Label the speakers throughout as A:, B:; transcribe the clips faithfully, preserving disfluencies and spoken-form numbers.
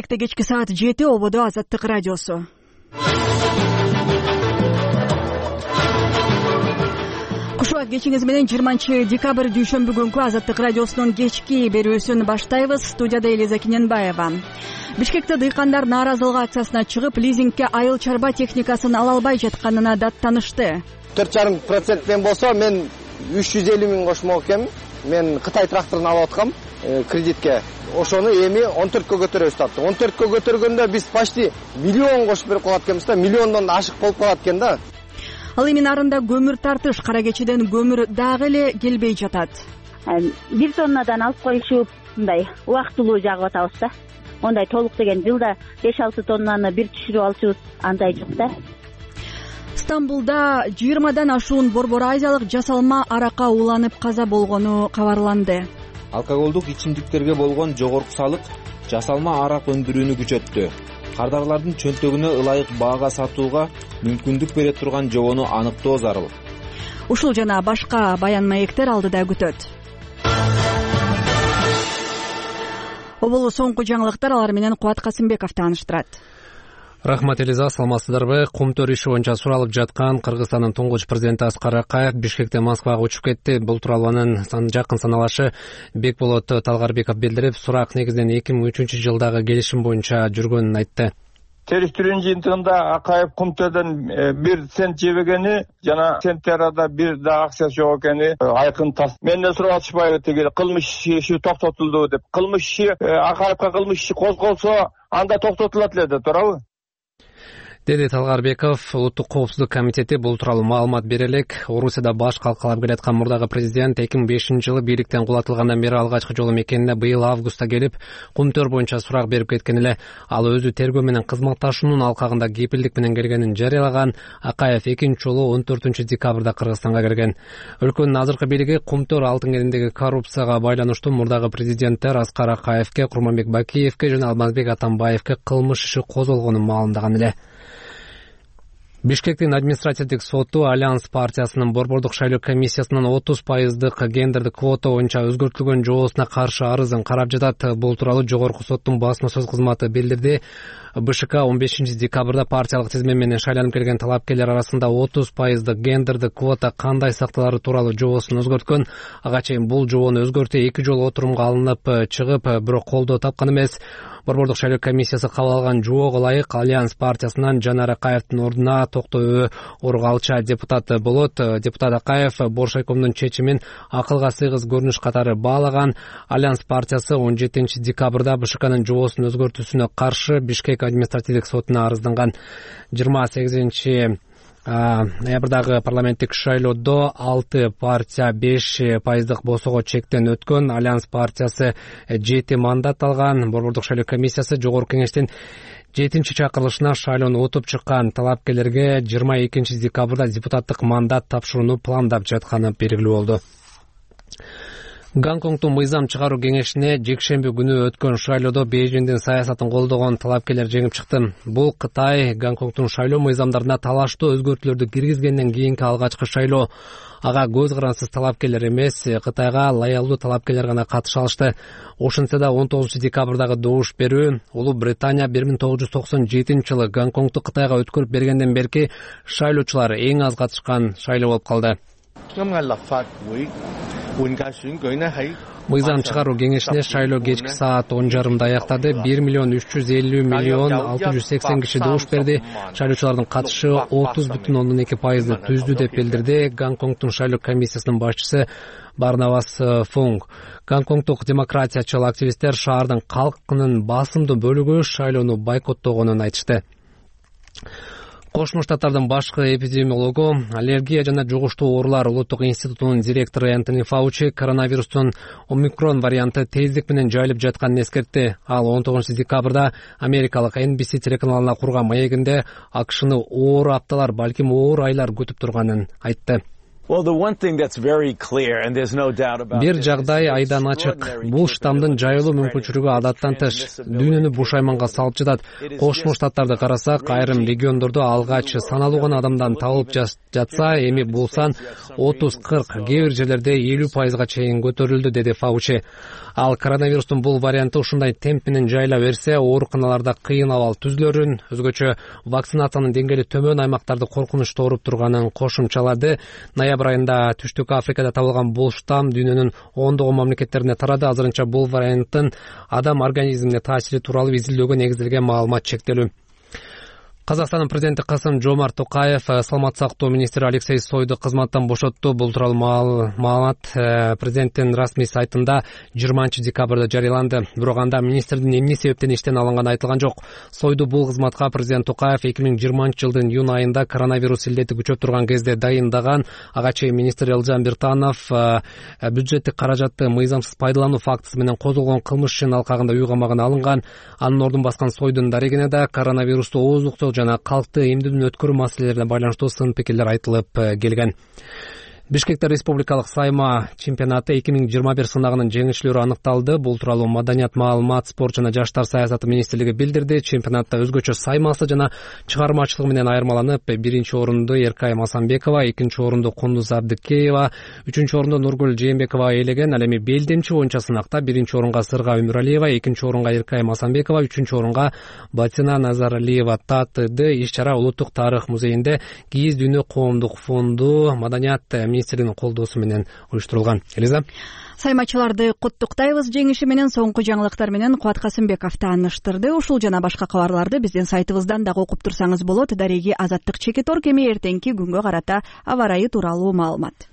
A: Бишкекте кечки саат жети, ободо Азаттык радиосу. Кушубак кечиңиз менен жыйырманчы декабрь дүйшөмбү күнкү Азаттык радиосунун кечки берүүсүн баштайбыз. Студияда Элиза Кененбаева. Бишкекте дыйкандар нааразылык акциясына чыгып, лизингке айыл чарба техникасын ала албай жатканына даттанышты.
B: төрт жарым проценттен болсо мен үч жүз элүү миң кошмок экенмин. Мен Кытай тракторун алып аткам кредитке. Ошону эми он төрткө көтөрөбүз таптык. он төрткө көтөргөндө биз почти миллион кошуп берип калат экенбиз да, миллиондон ашык болуп калат экен да.
A: Ал эми нарында көмүр тартыш, кара кечеден көмүр дагы эле келбей жатат.
C: Бир тоннадан алып коюшуп, мындай убактылуу жагып атабыз да. Ондай толук деген жылда беш алты тоннаны бир түшүрүп алчубуз, андай жок да.
A: Стамбулда жыйырмадан ашуун борбор азиялык жасалма аракка уланып каза болгону кабарланды.
D: Алкоголдук ичимдиктерге болгон жогорку салык жасалма арак өндүрүүнү күчөттү. Кардарлардын чөнтөгүнө ылайык баага сатууга мүмкүндүк бере турган жобону аныктоо зарыл.
A: Ушул жана башка баян маектер алдыда күтөт. Оболу соңку жаңылыктар, алар менен Кубат Касымбеков тааныштырат.
E: Рахмат Элиза, саламатсыздарбы? Кумтөр иши боюнча суралып жаткан Кыргызстандын туңгуч президенти Аскар Акаев Бишкектен Москвага учуп кетти. Бул тууралуу анын жакын саналашы Бекболот Талгарбеков билдирип, сурак негизинен эки миң үчүнчү жылдагы келишим боюнча жүргөнүн айтты.
F: Териштирүүнүн жыйынтыгында Акаев Кумтөрдөн бир цент жебегени жана центти арада бир да акчасы жок экени айкын тас. Менден сурап атышпайбы тиги кылмыш иши токтотулду деп. Кылмыш иши Акаевка кылмыш иши козголсо анда токтотулат эле да, туурабы?
E: Деди Талгарбеков. Улуттук коопсуздук комитети бул тууралуу маалымат бере элек. Орусияда баш калкалап келаткан мурдагы президент эки миң бешинчи жылы бийликтен кулатылгандан бери алгачкы жолу мекенине быйыл августта келип, Кумтөр боюнча сурак берип кеткен эле. Ал өзү тергөө менен кызматташуунун алкагында кепилдик менен келгенин жарыялаган. Акаев экинчи жолу он төртүнчү декабрда Кыргызстанга келген. Өлкөнүн азыркы бийлиги Кумтөр алтын кениндеги коррупцияга байланыштуу мурдагы президенттер Аскар Акаевке, Курманбек Бакиевке жана Алмазбек Атамбаевке кылмыш иши козголгонун маалымдаган эле. Бишкектин административдик соту Альянс партиясынын борбордук шайлоо комиссиясынын отуз пайыздык гендердик квота боюнча өзгөртүлгөн жобосуна каршы арызын карап жатат. Бул тууралуу жогорку соттун басма сөз кызматы билдирди. БШК он бешинчи декабрда партиялык тизме менен шайланып келген талапкерлер арасында отуз пайыздык гендердик квота кандай сакталары тууралуу жобосун өзгөрткөн. Ага чейин бул жобону өзгөртүү эки жолу отурумга алынып чыгып, бирок колдоо тапкан эмес. Борбордук шайлоо комиссиясы кабыл алган жоого ылайык Альянс партиясынан Жанар Акаевдин ордуна токтоо оргалча депутат болот. Депутат Акаев Боршайкомдун чечимин акылга сыйгыз көрүнүш катары баалаган. Альянс партиясы он жетинчи декабрда БШКнын жобосун өзгөртүүсүнө каршы Бишкек административдик сотуна арызданған. жыйырма сегизинчи ноябрдагы парламенттик шайлоодо алты партия беш пайыздык босого чектен өткөн. Альянс партиясы жети мандат алган. Борбордук шайлоо комиссиясы жогорку кеңештин жетинчи чакырылышына шайлоону утуп чыккан талапкерлерге жыйырма экинчи декабрда депутаттык мандат тапшырууну пландап жатканы белгилүү болду. Гонконгдун мыйзам чыгаруу кеңешине жекшемби күнү өткөн шайлоодо Бейжиңдин саясатын колдогон талапкерлер жеңип чыкты. Бул Кытай Гонконгдун шайлоо мыйзамдарына талаштуу өзгөртүүлөрдү киргизгенден кийинки алгачкы шайлоо. Ага көз карансыз талапкерлер эмес, Кытайга лоялдуу талапкерлер гана катыша алышты. Ошентсе да он тогузунчу декабрдагы добуш берүү Улуу Британия бир миң тогуз жүз токсон жетинчи жылы Гонконгду Кытайга өткөрүп бергенден берки шайлоочулар эң аз катышкан шайлоо болуп калды. Мыйзам чыгаруу кеңешине шайлоо кечки саат он жарымда аяктады. бир миллион үч жүз элүү миллион алты жүз сексен киши добуш берди. Шайлоочулардын катышы отуз бүтүн ондон эки пайызды түздү деп билдирди Гонконгдун шайлоо комиссиясынын башчысы Барнабас Фунг. Гонконгдук демократиячыл активисттер шаардын калкынын басымдуу бөлүгү шайлоону бойкоттогонун айтышты. Кошмо Штаттардын башкы эпидемиологу, аллергия жана жугуштуу оорулар улуттук институтунун директору Энтони Фаучи коронавирустун омикрон варианты тездик менен жайылып жатканын эскертти. Ал он тогузунчу декабрда америкалык Эн Би Си телеканалына курган маегинде АКШны оор апталар, балким оор айлар күтүп турганын айтты. Бир жагдай айдан ачык. Бул штамдын жайылуу мүмкүнчүлүгү адаттан тыш. Дүйнөнү бушайманга салып жатат. Кошмо Штаттарды карасак, айрым региондордо алгач саналуу гана адамдан табылып жатса, эми бул сан отуз кырк, кээ бир жерлерде элүү пайызга чейин көтөрүлдү, деди Фаучи. Ал коронавирустун бул варианты ушундай темп менен жайыла берсе, ооруканаларда кыйын абал түзүлөрүн, өзгөчө вакцинациянын деңгээли төмөн аймактарды коркунучтуу ооруп турганын кошумчалады. Ноябрь айында Түштүк Африкада табылган бул штамм дүйнөнүн ондогон мамлекеттерине тарады. Азырынча бул варианттын адам организмине таасири тууралуу изилдөөгө негизделген маалымат чектелүү. Казакстандын президенти Касым-Жомарт Токаев саламаттык сактоо министри Алексей Сойду кызматтан бошотту. Бул тууралуу маалымат президенттин расмий сайтында жыйырманчы декабрда жарыяланды. Бирок анда министрдин эмне себептен иштен алынганы айтылган жок. Сойду бул кызматка президент Токаев эки миң жыйырманчы жылдын июнь айында коронавирус илдети күчөп турган кезде дайындаган. Ага чейин министр Элжан Биртанов бюджеттик каражатты мыйзамсыз пайдалануу фактысы менен козголгон кылмыш ишинин алкагында үй камагына алынган. Анын ордун баскан Сойдун дарегине да коронавирусту ооздуктоо жана калкты эмдөөдөн өткөрүү маселелерине байланыштуу сын пикирлер айтылып келген. Бишкекте республикалык сайма чемпионаты эки миң жыйырма бир сынагынын жеңүүчүлөрү аныкталды. Бул тууралуу Маданият, маалымат, спорт жана жаштар саясаты министрлиги билдирди. Чемпионатта өзгөчө саймасы жана чыгармачылыгы менен айырмаланып, биринчи орунду Эркай Масамбекова, экинчи орунду Кундуз Абдыкеева, үчүнчү орунду Нургүл Жээнбекова ээлеген. Ал эми белдемчи боюнча сынакта биринчи орунга Сырга Өмүралиева, экинчи орунга Эркай Масамбекова, үчүнчү орунга Батина Назаралиева татыды. Иш-чара Улуттук тарых музейинде Кийиз дүйнө коомдук фонду, Маданият министринин колдоосу менен уюштурулган. Элиза,
A: саймачыларды куттуктайбыз жеңиши менен. Соңку жаңылыктар менен Кубат Касымбеков тааныштырды. Ушул жана башка кабарларды биздин сайтыбыздан дагы окуп турсаңыз болот. Дареги Азаттык Чекитор кеми эртеңки күнгө карата аба ырайы тууралуу маалымат.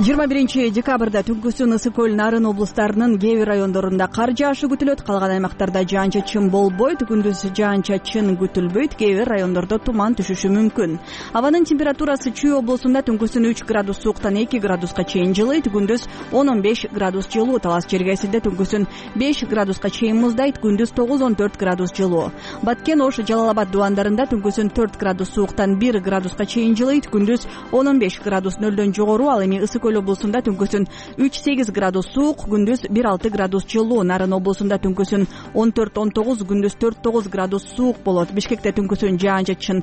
A: жыйырма биринчи декабрда түнкүсүн Ысык көл, Нарын облустарынын кээ бир райондорунда кар жаашы күтүлөт. Калган аймактарда жаан-чачын болбойт. Күндүз жаан-чачын күтүлбөйт. Кээ бир райондордо туман түшүшү мүмкүн. Абанын температурасы Чүй облусунда түнкүсүн үч градус сууктан эки градуска чейин жылыйт. Күндүз он он беш градус жылуу. Талас Чергесинде түнкүсүн беш градуска чейин муздайт. Күндүз тогуз он төрт градус жылуу. Баткен, Ош, Жалал Абад дубандарында түнкүсүн төрт градус сууктан бир градуска чейин жылыйт. Күндүз он он беш градус нөлдөн жогору. Ал эми Ысык көл облусунда түнкүсүн үч сегиз градус суук, күндүз бир алты градус жылуу. Нарын облусунда түнкүсүн он төрт он тогуз, күндүз төрт тогуз градус суук болот. Бишкекте түнкүсүн жаан-чачын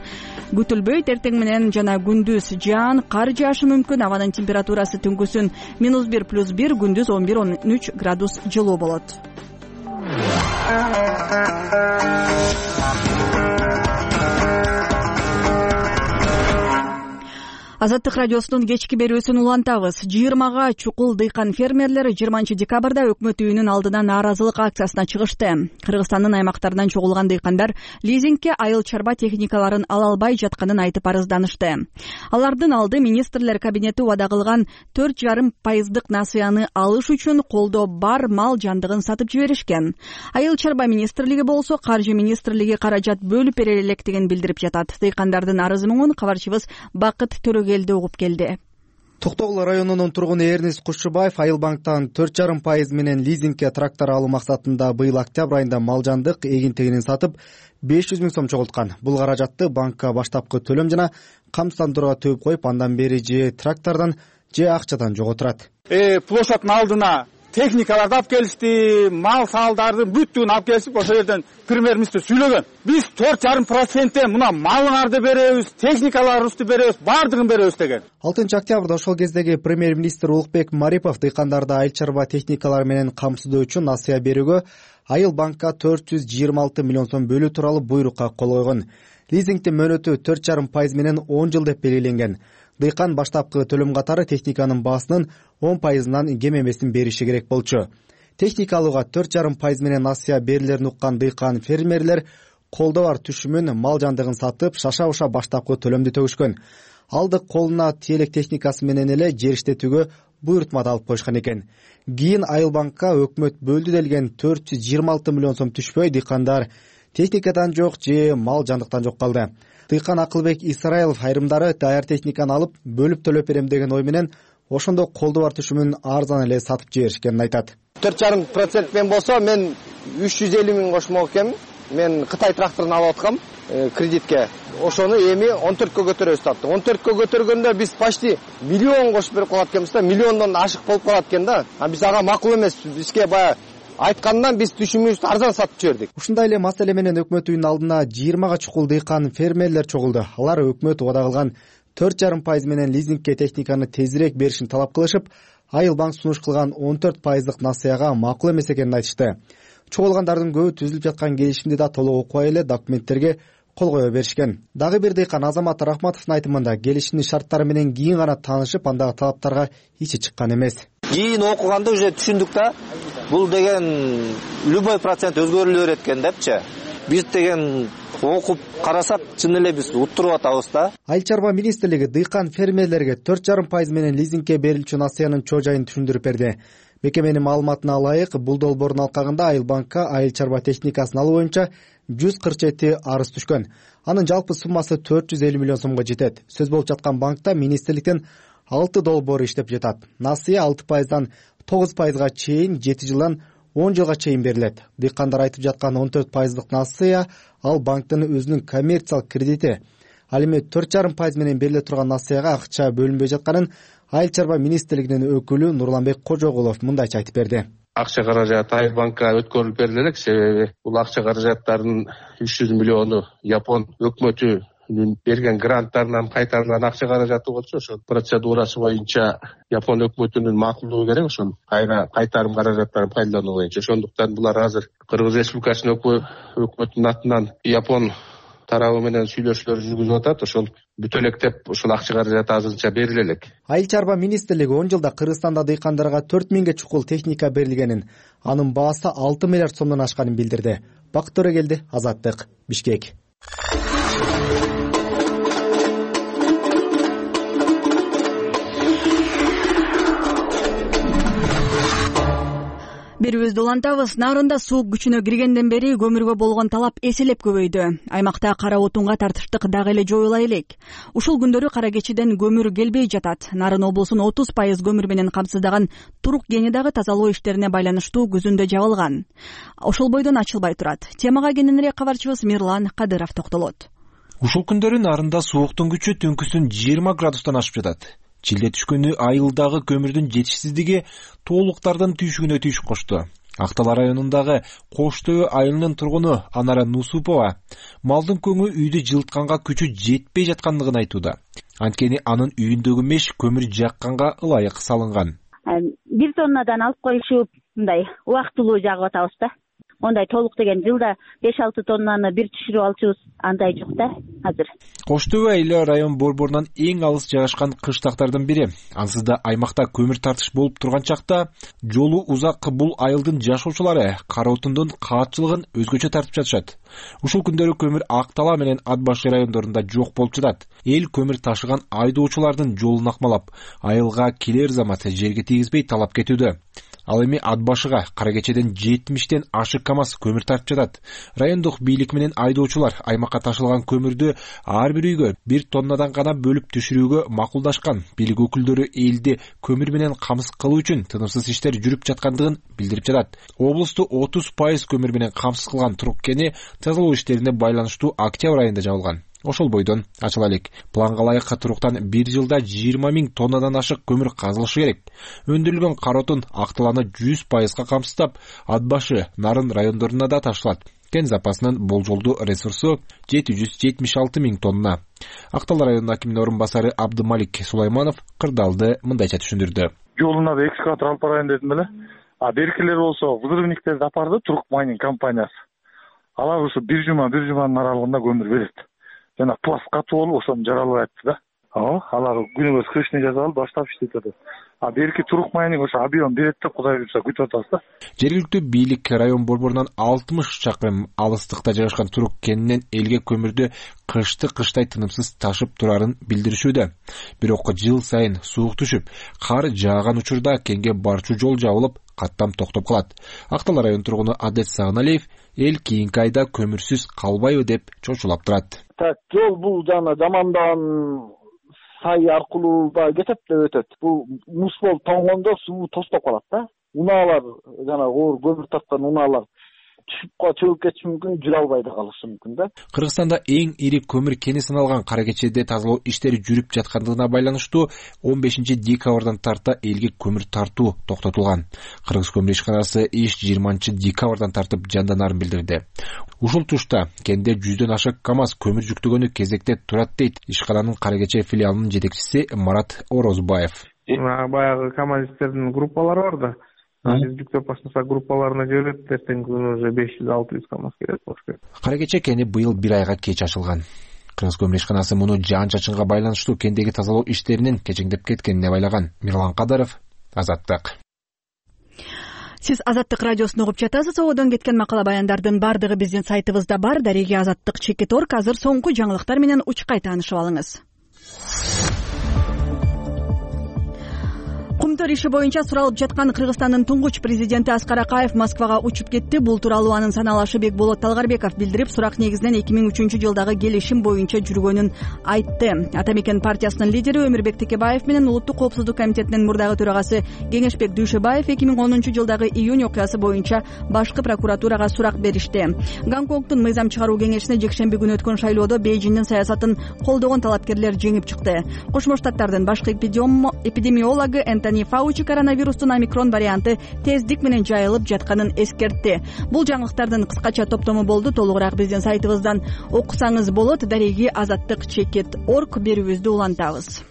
A: күтүлбөйт. Эртең менен жана күндүз жаан, кар жаашы мүмкүн. Абанын температурасы түнкүсүн минус бир плюс бир, күндүз он бир он үч градус жылуу болот. Азаттык радиосунун кечки берүүсүн улантабыз. жыйырмага чукул дыйкан фермерлер жыйырманчы декабрда өкмөт үйүнүн алдына нааразылык акциясына чыгышты. Кыргызстандын аймактарынан чогулган дыйкандар лизингке айыл чарба техникаларын ала албай жатканын айтып арызданышты. Алардын алды министрлер кабинети убада кылган төрт жарым пайыздык насыяны алыш үчүн колдо бар мал жандыгын сатып жиберишкен. Айыл чарба министрлиги болсо каржы министрлиги каражат бөлүп бере электигин билдирип жатат. Дыйкандардын арызы менен кабарчыбыз Бакыт Төрөгелди угуп келди.
G: Токтогул районунун тургуну Эрнис Кушчубаев Айыл банктан төрт жарым пайыз менен лизингке трактор алуу максатында быйыл октябрь айында мал жандык эгин-тегинин сатып беш жүз миң сом чогулткан. Бул каражатты банкка баштапкы төлөм жана камсыздандырууга төгүп коюп, андан бери же трактордон же акчадан жоготурат.
H: Э, площадьтын алдына техникаларды алып келишти, мал салдардын бүттүгүн алып келишип, ошол жерден премьер-министр сүйлөгөн. Биз төрт жарым проценттен мына малыңарды беребиз, техникаларыбызды беребиз, баардыгын беребиз деген.
G: алтынчы октябрда ошол кездеги премьер-министр Улукбек Марипов дыйкандарды айыл чарба техникалары менен камсыздоо үчүн насыя берүүгө Айыл банкка төрт жүз жыйырма алты миллион сом бөлүү тууралуу буйрукка кол койгон. Лизингдин мөөнөтү төрт жарым пайыз менен он жыл деп белгиленген. Дыйкан баштапкы төлөм катары техниканын баасынын он пайызынан кем эмесин бериши керек болчу. Техника алууга төрт жарым пайыз менен насыя берилерин уккан дыйкан фермерлер колдо бар түшүмүн мал жандыгын сатып шаша-буша баштапкы төлөмдү төгүшкөн. Алдык колуна тиелек техникасы менен эле жер иштетүүгө буйрутма да алып коюшкан экен. Кийин Айыл банкка өкмөт бөлдү делген төрт жүз жыйырма алты миллион сом түшпөй, дыйкандар техникадан жок же мал жандыктан жок калды. Дыйкан Акылбек Исраилов айрымдары даяр техниканы алып бөлүп төлөп берем деген ой менен ошондо колду бар түшүмүн арзан эле сатып жиберишкенин айтат.
B: төрт жарым процент мен болсо мен үч жүз элүү миң кошмок экенмин. Мен Кытай тракторун алып аткам кредитке. ошону эми он төрткө көтөрөбүз таптык. он төрткө көтөргөндө биз почти миллион кошуп берип калат экенбиз да, миллиондон ашык болуп калат экен да. А биз ага макул эмеспиз. Бизге баягы айткандан биз түшүмүбүздү арзан сатып жибердик.
G: Ушундай эле маселе менен өкмөт үйүнүн алдына жыйырмага чукул дыйкан фермерлер чогулду. Алар өкмөт убада кылган төрт жарым пайыз менен лизингке техниканы тезирээк беришин талап кылышып, Айыл банк сунуш кылган он төрт пайыздык насыяга макул эмес экенин айтышты. Чогулгандардын көбү түзүлүп жаткан келишимди да толук окубай эле документтерге кол кое беришкен. Дагы бир дыйкан Азамат Рахматовдун айтымында келишимдин шарттары менен кийин гана таанышып, андагы талаптарга ичи чыккан эмес.
I: Кийин окуганда уже түшүндүк да, бул деген любой процент өзгөрүлө берет экен депчи. Биз деген окуп карасак, чын эле биз уттуруп атабыз да.
G: Айыл чарба министрлиги дыйкан фермерлерге төрт жарым пайыз менен лизингке берилчү насыянын чоо жайын түшүндүрүп берди. Мекеменин маалыматына ылайык, бул долбоордун алкагында Айыл банкка айыл чарба техникасын алуу боюнча жүз кырк жети арыз түшкөн. Анын жалпы суммасы төрт жүз элүү миллион сомго жетет. Сөз болуп жаткан банкта министрликтин алты долбоору иштеп жатат. Насыя алты пайыздан тогуз пайызга чейин, жети жылдан он жылга чейин берилет. Дыйкандар айтып жаткан он төрт пайыздык насыя ал банктын өзүнүн коммерциялык кредити. Ал эми төрт жарым пайыз менен бериле турган насыяга акча бөлүнбөй жатканын Айыл чарба министрлигинин өкүлү Нурланбек Кожогулов мындайча айтып берди.
J: Акча каражаты Айыл банкка өткөрүлүп бериле элек, себеби бул акча каражаттарынын үч жүз миллиону Япон өкмөтү берген гранттарынан кайтарылган акча каражаты болчу, ошол процедурасы боюнча Япон өкмөтүнүн макулдугу керек, ошол кайра кайтарым каражаттарын пайдалануу боюнча. Ошондуктан булар азыр Кыргыз Республикасынын өкмөтүнүн атынан Япон тарабы менен сүйлөшүүлөр жүргүзүп атат. Ошол бүтө электеп ошол акча каражаты азырынча бериле элек.
G: Айыл чарба министрлиги он жылда Кыргызстанда дыйкандарга төрт миңге чукул техника берилгенин, анын баасы алты миллиард сомдон ашканын билдирди. Бакыт Төрөгелди, Азаттык, Бишкек.
A: Берүүбүздү улантабыз. Нарында суу күчүнө киргенден бери көмүргө болгон талап эселеп көбөйдү. Аймакта кара отунга тартыштык дагы эле жоюла элек. Ушул күндөрү Кара Кечиден көмүр келбей жатат. Нарын облусун отуз пайыз көмүр менен камсыздаган Турук кени дагы тазалоо иштерине байланыштуу күзүндө жабылган. Ошол бойдон ачылбай турат. Темага кененирээк кабарчыбыз Мирлан Кадыров токтолот.
D: Ушул күндөрү нарында сууктун күчү түнкүсүн жыйырма градустан ашып жатат. Чилде түшкөнү айылдагы көмүрдүн жетишсиздиги тоолуктардын түйшүгүнө түйшүк кошту. Актала районундагы Коштөө айылынын тургуну Анара Нусупова малдын көңү үйдү жылытканга күчү жетпей жаткандыгын айтууда. Анткени анын үйүндөгү меш көмүр жакканга ылайык салынган.
C: Бир тоннадан алып коюшуп, мындай убактылуу жагып атабыз да. Ондай толук деген жылда беш алты тоннаны бир түшүрүп алчубуз, андай жок да азыр.
D: Коштөө айылы район борборунан эң алыс жайгашкан кыштактардын бири. Ансыз да аймакта көмүр тартыш болуп турган чакта жолу узак бул айылдын жашоочулары кара отундун каатчылыгын өзгөчө тартып жатышат. Ушул күндөрү көмүр Актала менен Ат башы райондорунда жок болуп жатат. Эл көмүр ташыган айдоочулардын жолун акмалап, айылга келер замат жерге тийгизбей талап кетүүдө. Ал эми Ат башыга Кара Кечеден жетимиштен ашык КАМАЗ көмүр тартып жатат. Райондук бийлик менен айдоочулар аймакка ташылган көмүрдү ар бир үйгө бир тоннадан гана бөлүп түшүрүүгө макулдашкан. Бийлик өкүлдөрү элди көмүр менен камсыз кылуу үчүн тынымсыз иштер жүрүп жаткандыгын билдирип жатат. Облусту отуз пайыз көмүр менен камсыз кылган Турук кени тазалоо иштерине байланыштуу октябрь айында жабылган. Ошол бойдон ачыла элек. Планга ылайык Туруктан бир жылда жыйырма миң тоннадан ашык көмүр казылышы керек. Өндүрүлгөн кара отун Акталаны жүз пайызга камсыздап, Ат башы, Нарын райондоруна да ташылат. Кен запасынын болжолдуу ресурсу жети жүз жетимиш алты миң тонна. Актал районунун акиминин орун басары Абдымалик Сулайманов кырдаалды мындайча түшүндүрдү.
K: Жолуна да экскаватор алып барайын дедим эле. А беркилер болсо взрывниктерди апарды Турук майнинг компаниясы. Алар ушу бир жума бир жуманын аралыгында көмүр берет. Жана пласт катуу болуп ошону жаралап айтты да. Ооба, алар күнүбөз крышный жазып алып баштап иштеп жатат. А берки Турук майнинг ошо объем берет деп Кудай буйрса күтүп атабыз да.
D: Жергиликтүү бийлик район борборунан алтымыш чакырым алыстыкта жайгашкан Турук кенинен элге көмүрдү кышты кыштай тынымсыз ташып турарын билдиришүүдө. Бирок жыл сайын суук түшүп, кар жааган учурда кенге барчу жол жабылып, каттам токтоп калат. Актал район тургуну Адет Сагыналиев эл кийинки айда көмүрсүз калбайбы деп чочулап турат.
L: Так, жол бул жана Жамандан сай аркылуу да кетет деп өтөт. Бул мус болуп тоңгондо суу тостоп калат да. Унаалар жана оор көмүр тарткан унаалар түшүп чөгүп кетиши мүмкүн, жүрө албай да калышы мүмкүн да.
D: Кыргызстанда эң ири көмүр кени саналган Кара Кечеде тазалоо иштери жүрүп жаткандыгына байланыштуу он бешинчи декабрдан тарта элге көмүр тартуу токтотулган. Кыргыз көмүр ишканасы иш жыйырманчы декабрдан тартып жанданарын билдирди. Ушул тушта кенде жүздөн ашык КАМАЗ көмүр жүктөгөнү кезекте турат дейт ишкананын Кара Кече филиалынын жетекчиси Марат Орозбаев.
M: Баягы КАМАЗистердин группалары бар да. Биз жүктөп баштасак группаларына жиберет, эртеңки күнү уже беш жүз алты жүз КАМАЗ келет болуш керек.
D: Кара Кече кени быйыл бир айга кеч ачылган. Кыргыз көмүр ишканасы муну жаан-чачынга байланыштуу кендеги тазалоо иштеринин кечеңдеп кеткенине байлаган. Мирлан Кадаров, Азаттык.
A: Сиз Азаттык радиосун угуп жатасыз. Одон кеткен макала баяндардын бардыгы биздин сайтыбызда бар. Дареги Азаттык чекит орг. Азыр соңку жаңылыктар менен учкай таанышып алыңыз. Кумтөр иши боюнча суралып жаткан Кыргызстандын туңгуч президенти Аскар Акаев Москвага учуп кетти. Бул тууралуу анын саналашы Бекболот Талгарбеков билдирип, сурак негизинен эки миң үчүнчү жылдагы келишим боюнча жүргөнүн айтты. Ата мекен партиясынын лидери Өмүрбек Текебаев менен Улуттук коопсуздук комитетинин мурдагы төрагасы Кеңешбек Дүйшөбаев эки миң онунчу жылдагы июнь окуясы боюнча башкы прокуратурага сурак беришти. Гонконгдун мыйзам чыгаруу кеңешине жекшемби күнү өткөн шайлоодо Бейжиңдин саясатын колдогон талапкерлер жеңип чыкты. Кошмо Штаттардын башкы эпидемиологу Энтони Фаучи коронавирустун омикрон варианты тездик менен жайылып жатканын эскертти. Бул жаңылыктардын кыскача топтому болду. Толугураак биздин сайтыбыздан окусаңыз болот. Дареги Азаттык чекит орг берүүбүздү улантабыз.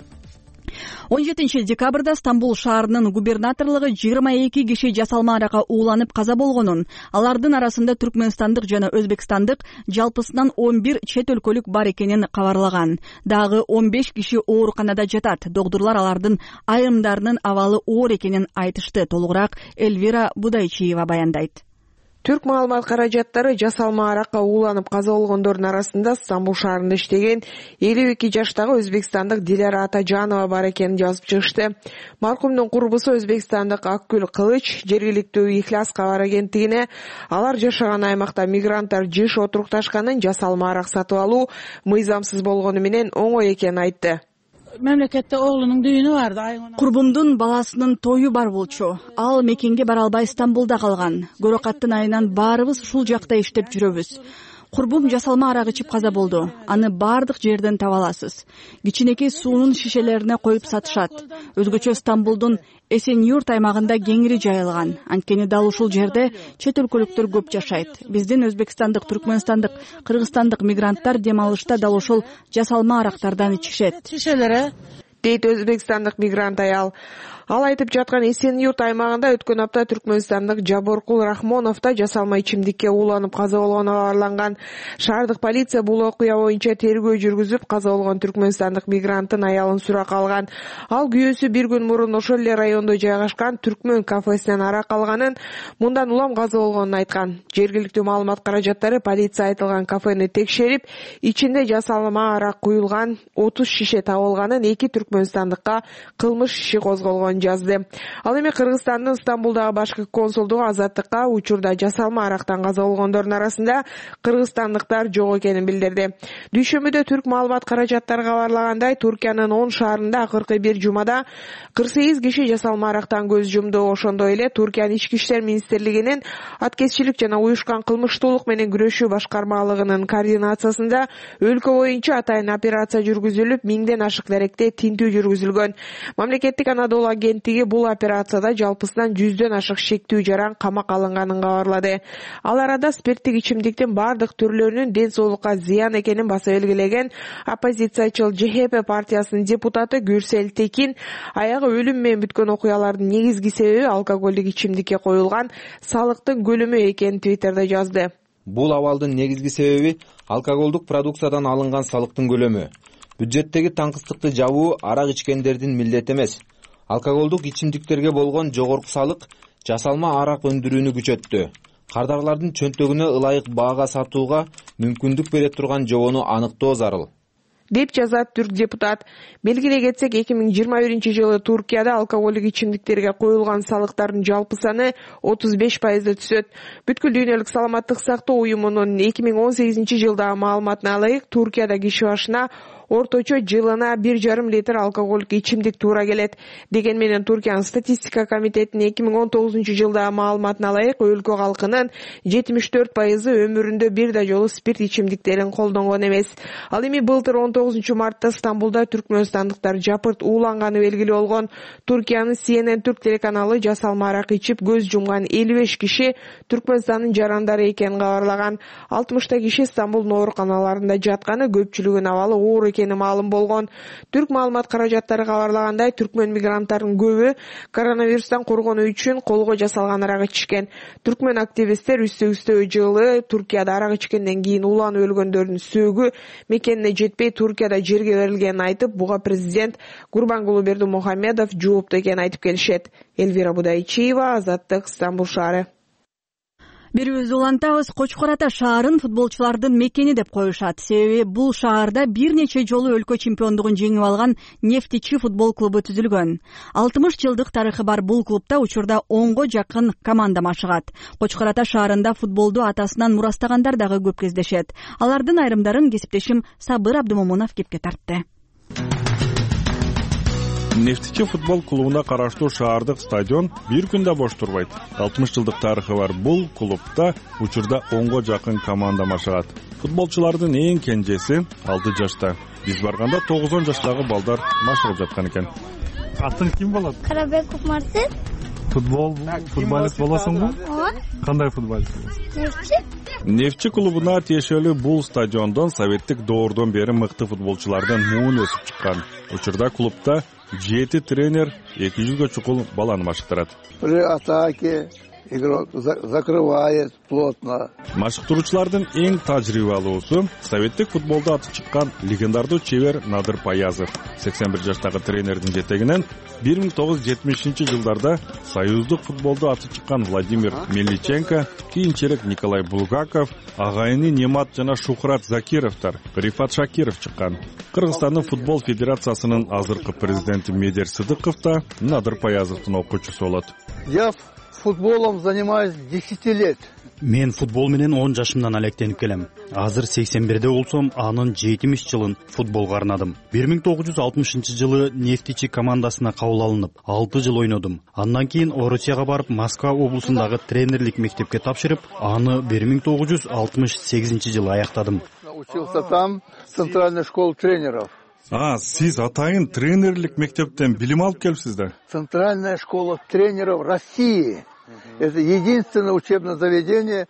A: он жетинчи декабрда Стамбул шаарынын губернаторлугу жыйырма эки киши жасалма аракка ууланып каза болгонун, алардын арасында түркмөнстандык жана өзбекстандык жалпысынан он бир чет өлкөлүк бар экенин кабарлаган. Дагы он беш киши ооруканада жатат. Докторлор алардын айрымдарынын абалы оор экенин айтышты. Толугураак Эльвира Будайчиева баяндайт.
N: Түрк маалымат каражаттары жасалма аракка ууланып каза болгондордун арасында Стамбул шаарында иштеген элүү эки жаштагы өзбекстандык Диляра Атажанова бар экенин жазып чыгышты. Маркумдун курбусу өзбекстандык Акгүл Кылыч жергиликтүү Ихлас кабар агенттигине алар жашаган аймакта мигранттар жыш отурукташканын, жасалма арак сатып алуу мыйзамсыз болгону менен оңой экенин айтты.
O: Мамлекетте оğlunun düğünü vardı.
A: Курбумдун баласынын тою бар болчу. Ал мекенге бара албай Стамбулда калган. Көрөкаттын айынан баарыбыз ушул жакта иштеп жүрөбүз. Курбум жасалма арак ичип каза болду. Аны бардык жерден таба аласыз. Кичинекей суунун шишелерине коюп сатышат. Өзгөчө Стамбулдун Эсенюрт аймагында кеңири жайылган. Анткени дал ушул жерде чет өлкөлүктөр көп жашайт. Биздин өзбекстандык, түркмөнстандык, кыргызстандык мигранттар дем алышта дал ушул жасалма арактардан ичишет.
O: Шишелери
N: дейт өзбекстандык мигрант аял. Ал айтып жаткан Эсенюрт аймагында өткөн апта түркмөнстандык Жаборкул Рахмонов да жасалма ичимдикке ууланып каза болгону кабарланган. Шаардык полиция бул окуя боюнча тергөө жүргүзүп, каза болгон түркмөнстандык мигранттын аялын суракка алган. Ал күйөөсү бир күн мурун ошол эле райондо жайгашкан түркмөн кафесинен арак алганын, мындан улам каза болгонун айткан. Жергиликтүү маалымат каражаттары полиция айтылган кафени текшерип, ичинде жасалма арак куюлган отуз шише табылганын, эки түркмөнстандыкка кылмыш иши козголгон жазды. Ал эми Кыргызстандын Стамбулдагы башкы консулдугу Азаттыкка учурда жасалма арактан каза болгондордун арасында кыргызстандыктар жок экенин билдирди. Дүйшөмбүдө түрк маалымат каражаттары кабарлагандай, Туркиянын он шаарында акыркы бир жумада кырк сегиз киши жасалма арактан көз жумду. Ошондой эле Туркиянын ички иштер министрлигинин аткезчилик жана уюшкан кылмыштуулук менен күрөшүү башкармалыгынын координациясында өлкө боюнча атайын операция жүргүзүлүп, миңден ашык деректе тинтүү жүргүзүлгөн. Мамлекеттик Анадолу агенттиги бул операцияда жалпысынан жүздөн ашык шектүү жаран камак алынганын кабарлады. Ал арада спирттик ичимдиктин бардык түрлөрүнүн ден соолукка зыян экенин баса белгилеген оппозициячыл Ж Х П партиясынын депутаты Гүрсел Текин аягы өлүм менен бүткөн окуялардын негизги себеби алкоголдук ичимдикке коюлган салыктын көлөмү экенин Твиттерде жазды.
P: Бул абалдын негизги себеби алкоголдук продукциядан алынган салыктын көлөмү. Бюджеттеги таңкыстыкты жабуу арак ичкендердин милдети эмес. Алкоголдук ичимдиктерге болгон жогорку салык жасалма арак өндүрүүнү күчөттү. Кардарлардын чөнтөгүнө ылайык баага сатууга мүмкүндүк бере турган жобону аныктоо зарыл,
N: деп жазат түрк депутат. Белгилей кетсек, эки миң жыйырма биринчи жылы Туркияда алкоголдук ичимдиктерге коюлган салыктардын жалпы саны отуз беш пайызды түзөт. Бүткүл дүйнөлүк саламаттык сактоо уюмунун эки миң он сегизинчи жылдагы маалыматына ылайык, Туркияда киши башына орточо жылына бир жарым литр алкоголдук ичимдик туура келет. Деген менен Туркиянын статистика комитетинин эки миң он тогузунчу жылдагы маалыматына ылайык өлкө калкынын жетимиш төрт пайызы өмүрүндө бир да жолу спирт ичимдиктерин колдонгон эмес. Ал эми былтыр он тогузунчу мартта Стамбулда түркмөнстандыктар жапырт ууланганы белгилүү болгон. Туркиянын Си Эн Эн түрк телеканалы жасалма арак ичип көз жумган элүү беш киши Түркмөнстандын жарандары экенин кабарлаган. алтымышта киши Стамбулдун ооруканаларында жатканы, көпчүлүгүнүн абалы оор экени маалым болгон. Түрк маалымат каражаттары кабарлагандай, түркмөн мигранттарынын көбү коронавирустан коргонуу үчүн колго жасалган арак ичишкен. Түркмөн активисттер үстө-үстө жылы Туркияда арак ичкенден кийин уланып өлгөндөрдүн сөөгү мекенине жетпей Туркияда жерге берилгенин айтып, буга президент Гурбангулы Бердимухамедов жоопту экенин айтып келишет. Элвира Будайчиева, Азаттык, Стамбул шаары.
A: Бирибиз улантабыз, Кочкор Ата шаарын футболчулардын мекени деп коюшат. Себеби бул шаарда бир нече жолу өлкө чемпиондугун жеңип алган Нефтичи футбол клубу түзүлгөн. алтымыш жылдык тарыхы бар бул клубда учурда онго жакын команда машыгат. Кочкор Ата шаарында футболду атасынан мурастагандар дагы көп кездешет. Алардын айрымдарын кесиптешим Сабыр Абдымомунов кепке тартты.
Q: Нефтичи футбол клубуна караштуу шаардык стадион бир күндө бош турбайт. алтымыш жылдык тарыхы бар бул клубда учурда онго жакын команда машыгат. Футболчулардын эң кенжеси алты жашта. Биз барганда тогуз жаштагы балдар машыгып жаткан экен.
R: Атың ким болот?
S: Карабеков Мартин.
R: Футбол футболист болосуңбу?
S: Ооба.
R: Кандай футболист болосуң?
S: Нефтчи.
Q: Нефтчи клубуна тиешелүү бул стадиондон советтик доордон бери мыкты футболчулардын муун өсүп чыккан. Учурда клубда жети тренер эки жүзгө чукул баланы машыктырат.
T: При атаке игрок закрывает плотно.
Q: Машыктыруучулардын эң тажрыйбалуусу советтик футболдо аты чыккан легендардуу чебер Надыр Паязов. сексен бир жаштагы тренердин жетегинен бир миң тогуз жүз жетимишинчи жылдарда союздук футболдо аты чыккан Владимир Мельниченко, кийинчерээк Николай Булгаков, агайыны Немат жана Шухрат Закировдор, Рифат Шакиров чыккан. Кыргызстандын футбол федерациясынын азыркы президенти Медер Сыдыков да Надыр Паязовдун окуучусу болот.
T: Я футболом занимаюсь десять лет.
U: Мен футбол менен он жашымдан алектенип келем. Азыр сексен бирде болсом, анын жетимиш жылын футболго арнадым. бир миң тогуз жүз алтымышынчы жылы Нефтичи командасына кабыл алынып, алты жыл ойнодум. Андан кийин Орусияга барып, Москва облусундагы тренерлик мектепке тапшырып, аны бир миң тогуз жүз алтымыш сегизинчи жылы аяктадым.
T: Учился там в центральной школе тренеров.
Q: А, сиз атайын тренерлик мектептен билим алып келипсиз да?
T: Центральная школа тренеров России. Это единственное учебное заведение.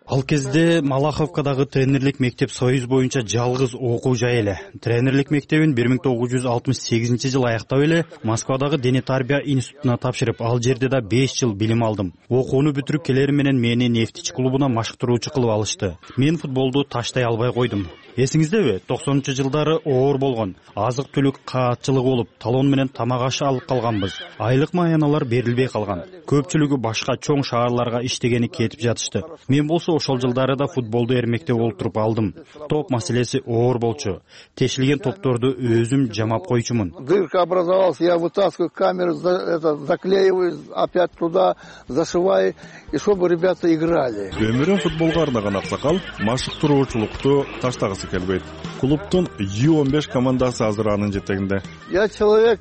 U: Ал кезде Малаховкадагы тренерлик мектеп Союз боюнча жалгыз окуу жай эле. Тренерлик мектебин бир миң тогуз жүз алтымыш сегизинчи жылы аяктап эле Москвадагы дене тарбия институтуна тапшырып, ал жерде да беш жыл билим алдым. Окууну бүтүрүп келери менен мени Нефтичи клубуна машыктыруучу кылып алышты. Мен футболду таштай албай койдум. Эсиңиздеби? токсонунчу жылдары оор болгон. Азык-түлүк каатчылыгы болуп, талон менен тамак ашы алып калганбыз. Айлык маяналар берилбей калган. Көпчүлүгү башка чоң шаарларга иштегени кетип жатышты. Мен болсо ошол жылдары да футболду эрмектеп олтуруп алдым. Топ маселеси оор болчу. Тешилген топторду өзүм жамап койчумун.
T: Дырка образовалась, я вытаскиваю камеру, это заклеиваю, опять туда зашиваю, и чтобы ребята играли.
Q: Өмүрүн футболго арнаган аксакал машыктыруучулукту таштагысы келбейт. Клубдун Ю он беш командасы азыр анын жетегинде.
T: Я человек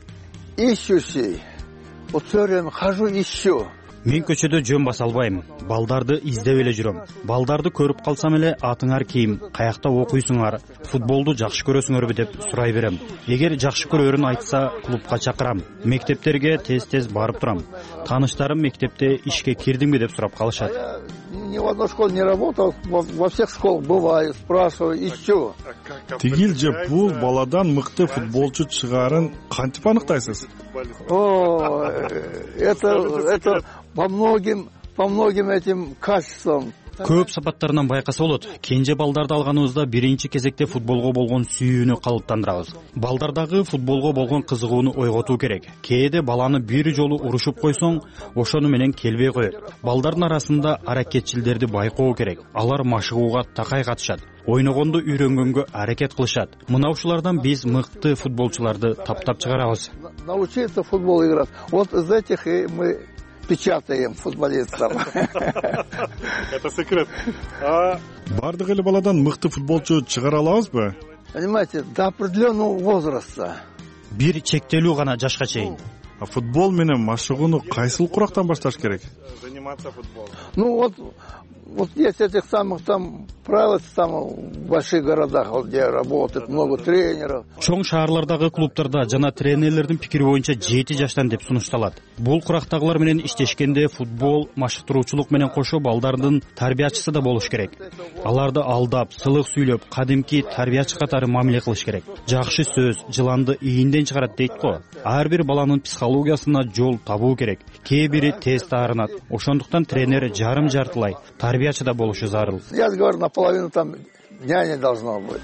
T: ищущий. Вот всё время хожу, ищу.
U: Мен көчөдө жөн баса албайм. Балдарды издеп эле жүрөм. Балдарды көрүп калсам эле атыңар кийим, каякта окуйсуңар, футболду жакшы көрөсүңөрбү деп сурай берем. Эгер жакшы көрөрүн айтса, клубка чакырам. Мектептерге тез-тез барып турам. Тааныштарым мектепте ишке кирдиңби деп сурап калышат.
T: Ни в одной школе не работал, во всех школах бываю, спрашиваю, ищу.
Q: Тигил же бул баладан мыкты футболчу чыгарын кантип аныктайсыз?
T: О, это это по многим по многим этим качествам.
U: Көп сапаттарынан байкаса болот. Кенже балдарды алганыбызда биринчи кезекте футболго болгон сүйүүнү калыптандырабыз. Балдардагы футболго болгон кызыгууну ойготуу керек. Кээде баланы бир жолу урушуп койсоң, ошону менен келбей коет. Балдардын арасында аракетчилдерди байкоо керек. Алар машыгууга такай катышат. Ойногонду үйрөнгөнгө аракет кылышат. Мына ушулардан биз мыкты футболчуларды таптап чыгарабыз.
T: Научиться футбол играть. Вот из этих и мы печатаем футболистов.
Q: Это секрет. Бардык эле баладан мыкты футболчу чыгара алабызбы?
T: понимаете, до определенного возраста.
U: Бир чектелүү гана жашка чейин.
Q: Футбол менен машыгууну кайсыл курактан башташ керек?
T: Заниматься футболом. Ну вот, вот есть этих самых там правил там в больших городах, вот где работает много тренеров.
U: Чоң шаарлардагы клубтарда жана тренерлердин пикири боюнча жети жаштан деп сунушталат. Бул курактагылар менен иштешкенде футбол машыктыруучулук менен кошо балдардын тарбиячысы да болуш керек. Аларды алдап, сылык сүйлөп, кадимки тарбиячы катары мамиле кылыш керек. Жакшы сөз жыланды ийинден чыгарат дейт го. Ар бир баланын психологиясына жол табуу керек. Кээ бири тез таарынат. Ошондуктан тренер жарым жартылай тарбиячы да болушу зарыл.
T: Я говорю, наполовину там няня должна быть.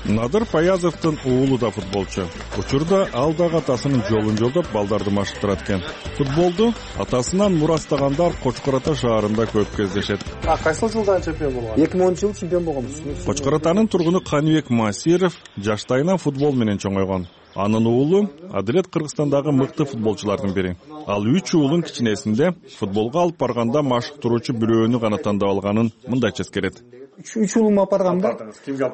Q: Надыр Паязовдун уулу да футболчу. Учурда ал дагы атасынын жолун жолдоп балдарды машыктырат экен. Футболду атасынан мурастагандар Кочкор Ата шаарында көп кездешет.
R: А кайсыл жылда чемпион болгон?
S: эки миң онунчу жылы чемпион болгонбуз.
Q: Кочкор Атанын тургуну Каныбек Масиров жаштайынан футбол менен чоңойгон. Анын уулу Адилет Кыргызстандагы мыкты футболчулардын бири. Ал үч уулун кичинесинде футболго алып барганда машыктыруучу бирөөнү гана тандап алганын мындайча эскерет.
S: Үч уулумду апаргам да.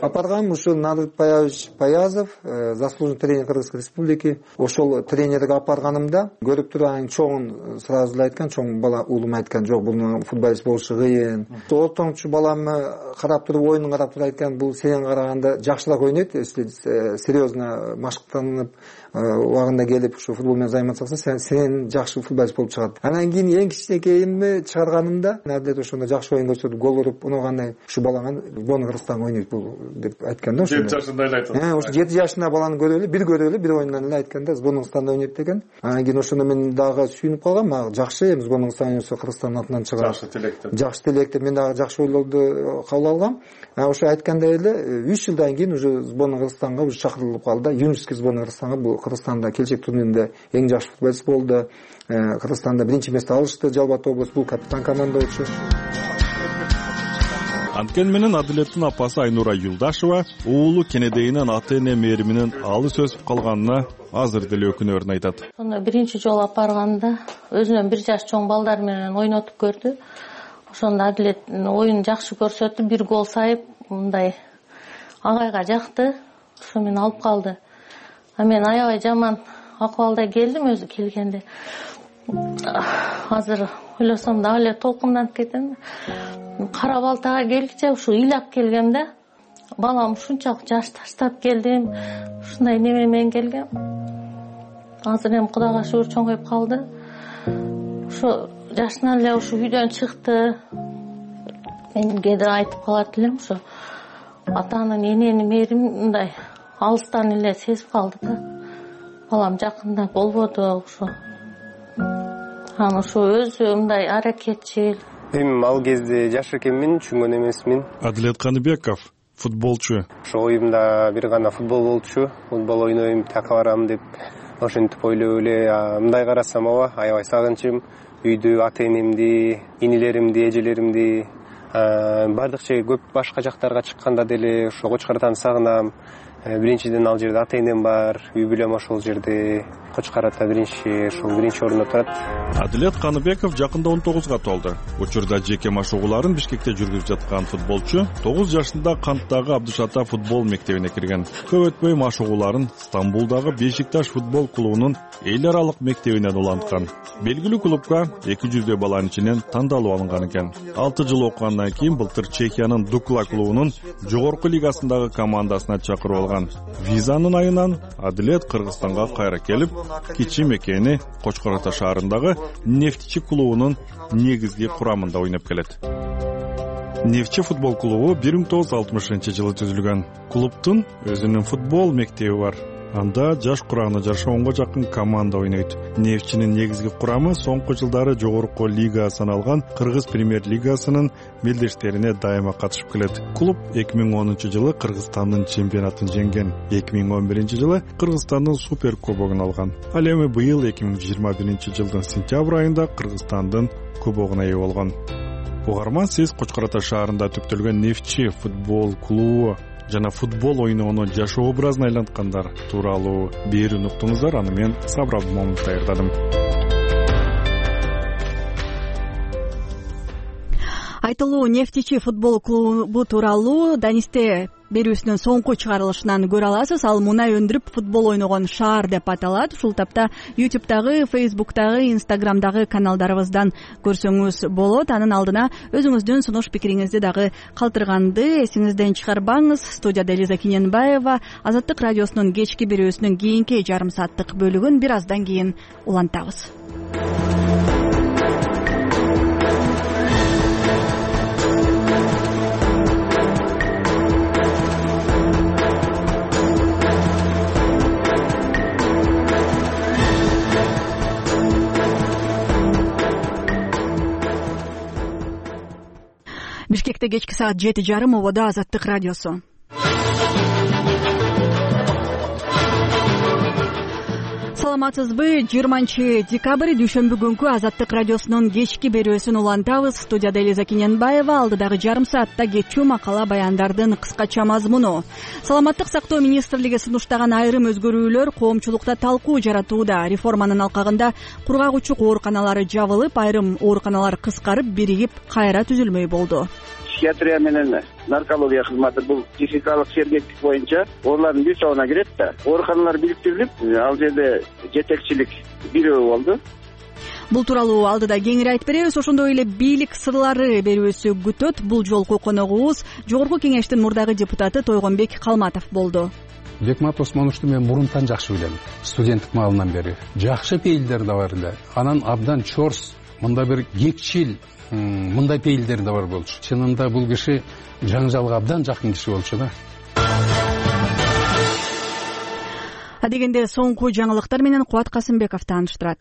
S: Апаргам ушу Надыр Паязов, заслуженный тренер Кыргызской республики. Ошол тренерге апарганымда көрүп туруп анын чоңун сразу эле айткан, чоң бала уулум айткан, жок бул футболист болушу кыйын. Ортоңчу баламы карап туруп, оюнун карап туруп айткан, бул сенен караганда жакшыраак ойнойт, если серьезно машыктанып убагында келип ушу футбол менен займатсакса, сен сенен жакшы футболист болуп чыгат. Анан кийин эң кичинекейимди чыгарганымда, Адилет ошондо жакшы оюн көрсөтүп, гол уруп, унагандай ушу балаңан Сборный Кыргызстан ойнойт бул деп айткан да.
R: жети жашында эле айтат.
S: Э, ошо жети жашында баланы көрүп эле, бир көрүп эле, бир оюндан эле айткан да, Сборный Кыргызстанда ойнойт деген. Анан кийин ошондо мен дагы сүйүнүп калгам, мага жакшы эми Сборный Кыргызстан ойносо Кыргызстандын атынан чыгат.
R: Жакшы тилектер.
S: Жакшы тилектер, мен дагы жакшы ойлорду кабыл алгам. Анан ошо айткандай эле үч жылдан кийин уже Сборный Кыргызстанга уже чакырылып калды. Юнуский Сборный Кыргызстанга бул Кыргызстанда келечек турниринде эң жакшы футболист болду. Кыргызстанда биринчи место алышты, Жалбат облус, бул капитан команда болчу.
Q: Анткени менен Адилеттин апасы Айнура Юлдашева уулу кенедейинен ата-эне мээриминин алыс өсүп калганына азыр деле өкүнөрүн айтат.
V: Сонда биринчи жолу апарганда өзүнөн бир жаш чоң балдар менен ойнотуп көрдү. Ошондо Адилет оюн жакшы көрсөтүп, бир гол сайып, мындай агайга жакты. Ошо мени алып калды. А мен аябай жаман акыбалда келдим өзү келгенде. Азыр ойлосом дагы эле толкунданып кетем. Кара Балтага келгиче ушу ыйлап келгем да. Балам ушунчалык жаш таштап келдим. Ушундай неме менен келгем. Азыр эми Кудайга шүгүр чоңоюп калды. Ушу жашынан эле ушу үйдөн чыкты. Мен кээде айтып калат элем, ушу атанын эненин мээрин мындай алыстан эле сезип калды да. Балам жакында болбоду ушу. Анан ушу өзү мындай аракетчил.
W: Эми ал кезде жаш экенмин, түшүнгөн эмесмин.
Q: Адилет Каныбеков футболчу.
W: Ошо оюмда бир гана футбол болчу. Футбол ойнойм, така барам деп ошентип ойлоп эле мындай карасам ооба, аябай сагынчым. Үйдү ата-энемди, инилеримди, эжелеримди, бардык же көп башка жактарга чыкканда деле ошо Кочкор Атаны сагынам. Биринчиден ал жерде ата-энем бар, үй бүлөм ошол жерде. Кочкор Ата биринчи, ошол биринчи орунда турат.
Q: Адилет Каныбеков жакында он тогузга толду. Учурда жеке машыгууларын Бишкекте жүргүзүп жаткан футболчу тогуз жашында Канттагы Абдышата футбол мектебине кирген. Көп өтпөй машыгууларын Стамбулдагы Бешикташ футбол клубунун эл аралык мектебинен уланткан. Белгилүү клубка эки жүздөй баланын ичинен тандалып алынган экен. алты жыл окугандан кийин былтыр Чехиянын Дукла клубунун жогорку лигасындагы командасына чакырып алган. Визанын айынан Адилет Кыргызстанга кайра келип, кичи мекени Кочкор Ата шаарындагы Нефтчи клубунун негизги курамында ойноп келет. Нефтчи футбол клубу бир миң тогуз жүз алтымышынчы жылы түзүлгөн. Клубтун өзүнүн футбол мектеби бар. Анда жаш курамына жараша онго жакын команда ойнойт. Нефтчинин негизги курамы соңку жылдары жогорку лига саналган Кыргыз премьер-лигасынын белдештерине дайыма катышып келет. Клуб эки миң онунчу жылы Кыргызстандын чемпионатын жеңген. эки миң он биринчи жылы Кыргызстандын супер кубогун алган. Ал эми быйыл эки миң жыйырма биринчи жылдын сентябрь айында Кыргызстандын кубогуна ээ болгон. Угарман, сиз Кочкор Ата шаарында түптөлгөн Нефтчи футбол клубу жана футбол ойноону жашоо образына айланткандар тууралуу берүүнү уктуңуздар. Аны мен Сабыр Абдымомунов даярдадым.
A: айтылуу нефтичи футбол клубу тууралуу Данисте берүүсүнүн соңку чыгарылышынан көрө аласыз. Ал мунай өндүрүп футбол ойногон шаар деп аталат. Ушул тапта ютубтагы, фейсбуктагы, инстаграмдагы каналдарыбыздан көрсөңүз болот. Анын алдына өзүңүздүн сунуш пикириңизди дагы калтырганды эсиңизден чыгарбаңыз. Студияда Элиза Киненбаева. Азаттык радиосунун кечки берүүсүнүн кийинки жарым сааттык бөлүгүн бир аздан кийин улантабыз. Бишкекте кечки саат жети жарым, ободо Азаттык радиосу. Саламатсызбы? жыйырманчы декабрь дүйшөмбү күнкү Азаттык радиосунун кечки берүүсүн улантабыз. Студияда Элиза Киненбаева. Алдыдагы жарым саатта кетчү макала баяндардын кыскача мазмуну. Саламаттык сактоо министрлиги сунуштаган айрым өзгөрүүлөр коомчулукта талкуу жаратууда. Реформанын алкагында кургак учук ооруканалары жабылып, айрым ооруканалар кыскарып, биригип кайра түзүлмөй болду.
E: Психиатрия менен наркология кызматы бул психикалык сергектик боюнча оолардын бир тобуна кирет да. Ооруканалар бириктирилип, ал жерде жетекчилик бирөө болду.
A: Бул тууралуу алдыда кеңири айтып беребиз. Ошондой эле бийлик сырлары берүүсү күтөт. Бул жолку коногубуз Жогорку Кеңештин мурдагы депутаты Тойгонбек Калматов болду.
F: Бекмат Осмоновду мен мурунтан жакшы билем. Студенттик маалынан бери жакшы пейилдер да бар эле. Анан абдан чорс, мында бир кекчил, мындай пейилдер да бар болчу. Чынында бул киши жаңжалга абдан жакын киши болчу да.
A: Адегенде соңку жаңылыктар менен Кубат Касымбеков тааныштырат.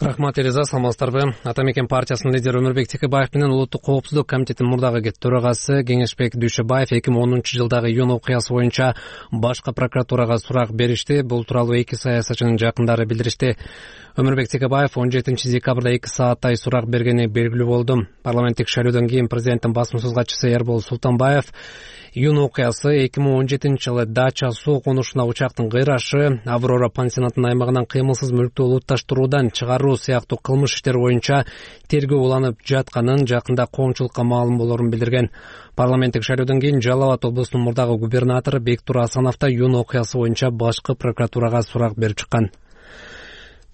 H: Рахмат, Элиза, саламатсыздарбы? Ата мекен партиясынын лидери Өмүрбек Текебаев менен Улуттук коопсуздук комитетинин мурдагы төрагасы Кеңешбек Дүйшөбаев эки миң онунчу жылдагы июнь окуясы боюнча башкы прокуратурага сурак беришти. Бул тууралуу эки саясатчынын жакындары билдиришти. Өмүрбек Текебаев он жетинчи декабрда эки сааттай сурак бергени белгилүү болду. Парламенттик шайлоодон кийин президенттин басма катчысы Эрбол Султанбаев июнь окуясы эки миң он жетинчи жылы Дача суу конушуна учактын кыйрашы, Аврора пансионатынын аймагынан кыймылсыз мүлктү улутташтыруудан чыгаруу сыяктуу кылмыш иштери боюнча тергөө уланып жатканын, жакында коомчулукка маалым болорун билдирген. Парламенттик шайлоодон кийин Жалал Абад облусунун мурдагы губернатору Бектур Асанов да июнь окуясы боюнча башкы прокуратурага сурак берип чыккан.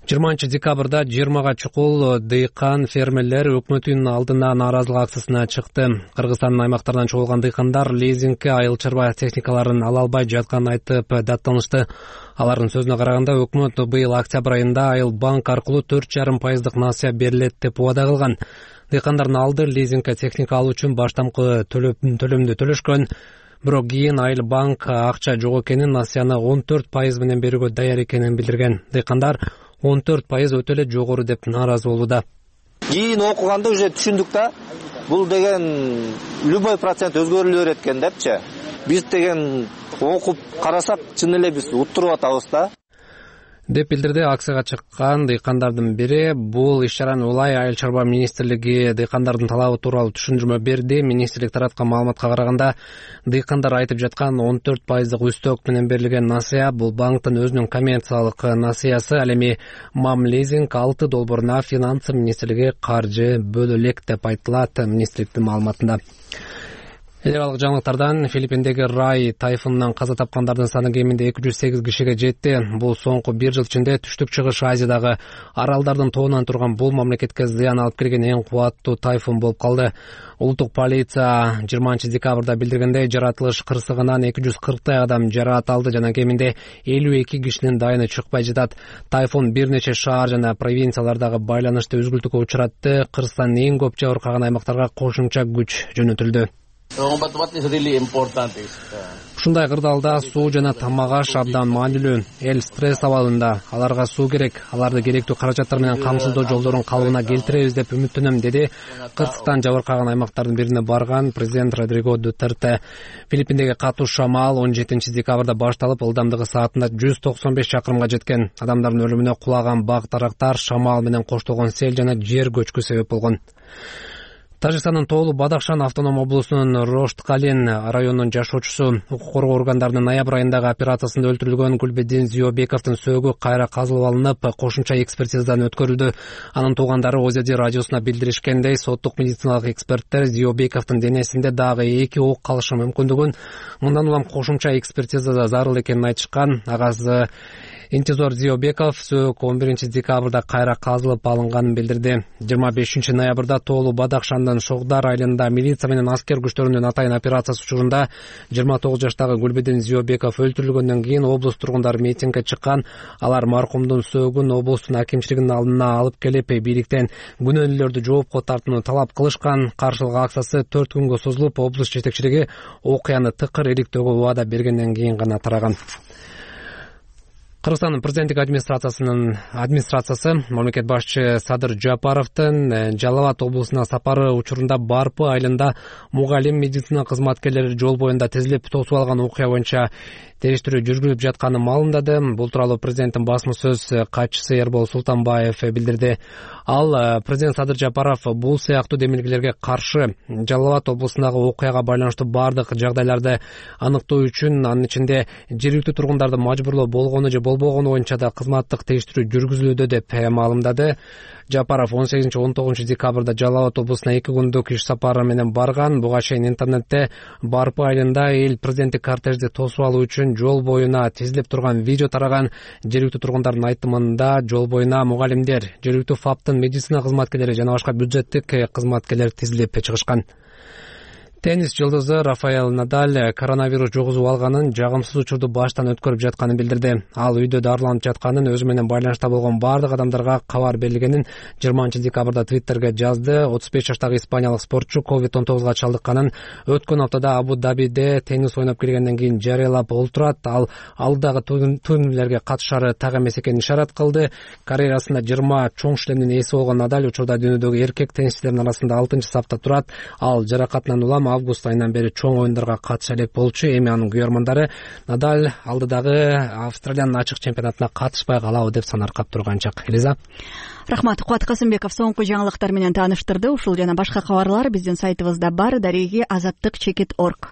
H: жыйырманчы декабрда жыйырмага чукул дыйкан фермерлер өкмөттүн алдына нааразылык акциясына чыкты. Кыргызстандын аймактарынан чогулган дыйкандар лизингке айыл чарба техникаларын ала албай жатканын айтып даттанышты. Алардын сөзүнө караганда, өкмөт быйыл октябрь айында айыл банк аркылуу төрт жарым пайыздык насыя берилет деп убада кылган. Дыйкандардын алды лизингке техника алуу үчүн баштапкы төлөмдү төлөшкөн. Бирок кийин айыл банк акча жок экенин, насыяны он төрт пайыз менен берүүгө даяр экенин билдирген. Дыйкандар он төрт пайыз өтө эле жогору деп нааразы болууда.
I: Кийин окуганда уже түшүндүк да, бул деген любой процент өзгөрүлө берет экен депчи. Биз деген окуп карасак, чын эле биз уттуруп атабыз да.
H: деп билдирди акцияга чыккан дыйкандардын бири. Бул иш-чараны улай айыл чарба министрлиги дыйкандардын талабы тууралуу түшүндүрмө берди. Министрлик тараткан маалыматка караганда, дыйкандар айтып жаткан он төрт пайыздык үстөк менен берилген насыя бул банктын өзүнүн коммерциялык насыясы. Ал эми мам лизинг алты долбооруна финансы министрлиги каржы бөлө элек деп айтылат министрликтин маалыматында. Эл аралык жаңылыктардан Филиппиндеги Рай тайфунунан каза тапкандардын саны кеминде эки жүз сегиз кишиге жетти. Бул соңку бир жыл ичинде түштүк чыгыш Азиядагы аралдардын тобунан турган бул мамлекетке зыян алып келген эң кубаттуу тайфун болуп калды. Улуттук полиция жыйырманчы декабрда билдиргендей, жаратылыш кырсыгынан эки жүз кырктай адам жараат алды жана кеминде элүү эки кишинин дайыны чыкпай жатат. Тайфун бир нече шаар жана провинциялардагы байланышты үзгүлтүүгө учуратты. Кырсыктан эң көп жабыркаган аймактарга кошумча күч жөнөтүлдү. Ушундай кырдаалда суу жана тамак аш абдан маанилүү. Эл стресс абалында, аларга суу керек. Аларды керектүү каражаттар менен камсыздоо жолдорун калыбына келтиребиз деп үмүттөнөм, деди кырсыктан жабыркаган аймактардын бирине барган президент Родриго Дутерте. Филиппиндеги катуу шамал он жетинчи декабрда башталып, ылдамдыгы саатында жүз токсон беш чакырымга жеткен. Адамдардын өлүмүнө кулаган бак дарактар, шамал менен коштолгон сел жана жер көчкү себеп болгон. Тажикстандын Тоолу Бадахшан автоном облусунун Рошткалин районунун жашоочусу укук коргоо органдарынын ноябрь айындагы операциясында өлтүрүлгөн Гүлбедин Зиёбековдун сөөгү кайра казылып алынып, кошумча экспертизадан өткөрүлдү. Анын туугандары ОЗД радиосуна билдиришкендей, соттук медициналык эксперттер Зиёбековдун денесинде дагы эки ок калышы мүмкүндүгүн, мындан улам кошумча экспертизада зарыл экенин айтышкан. Агасы Интизор Зиёбеков сөөгү он биринчи декабрда кайра казылып алынганын билдирди. жыйырма бешинчи ноябрда Тоолу Бадахшандын Шогдар айылында милиция менен аскер күчтөрүнүн атайын операциясы учурунда жыйырма тогуз жаштагы Гүлбедин Зиёбеков өлтүрүлгөндөн кийин облус тургундары митингге чыккан. Алар маркумдун сөөгүн облустун акимчилигинин алдына алып келип, бийликтен күнөөлүүлөрдү жоопко тартууну талап кылышкан. Каршылык акциясы төрт күнгө созулуп, облус жетекчилиги окуяны тыкыр иликтөөгө убада бергенден кийин гана тараган. Кыргызстандын президенттик администрациясынын администрациясы мамлекет башчы Садыр Жапаровдун Жалал Абад облусуна сапары учурунда Барпы айылында мугалим медицина кызматкерлери жол боюнда тизилип тосуп алган окуя боюнча териштирүү жүргүзүлүп жатканын маалымдады. Бул тууралуу президенттин басма сөз катчысы Эрбол Султанбаев билдирди. Ал президент Садыр Жапаров бул сыяктуу демилгелерге каршы Жалал Абад облусундагы окуяга байланыштуу бардык жагдайларды аныктоо үчүн, анын ичинде жергиликтүү тургундарды мажбурлоо болгону же болбогону боюнча да кызматтык териштирүү жүргүзүлүүдө деп маалымдады. Жапаров он сегизинчи он тогузунчу декабрда Жалал Абад облусуна эки күндүк иш сапары менен барган. Буга чейин интернетте Барпы айылында эл президенттик кортежди тосуп алуу үчүн жол боюна тизилип турган видео тараган. Жергиликтүү тургундардын айтымында жол боюна мугалимдер, жергиликтүү ФАПтын медицина кызматкерлери жана башка бюджеттик кызматкерлер тизилип чыгышкан. Теннис жылдызы Рафаэль Надаль коронавирус жугузуп алганын, жагымсыз учурду баштан өткөрүп жатканын билдирди. Ал үйдө дарыланып жатканын, өзү менен байланышта болгон бардык адамдарга кабар берилгенин жыйырманчы декабрда Твиттерге жазды. отуз беш жаштагы испаниялык спортчу ковид он тогузга чалдыкканын өткөн аптада Абу-Дабиде теннис ойноп келгенден кийин жарыялап олтурат. Ал алдагы турнирлерге катышары так эмес экенин ишарат кылды. Карьерасында жыйырма чоң шлемдин ээси болгон Надаль учурда дүйнөдөгү эркек теннисчилердин арасында алтынчы сапта турат. Ал жаракатынан улам август айынан бери чоң оюндарга катыша элек болчу. Эми анын күйөрмандары Надаль алдыдагы Австралиянын ачык чемпионатына катышпай калабы деп санаркап турганчак. Элиза.
A: Рахмат. Кубат Касымбеков соңку жаңылыктар менен тааныштырды. Ушул жана башка кабарлар биздин сайтыбызда бар. Дареги азаттык чекит орг.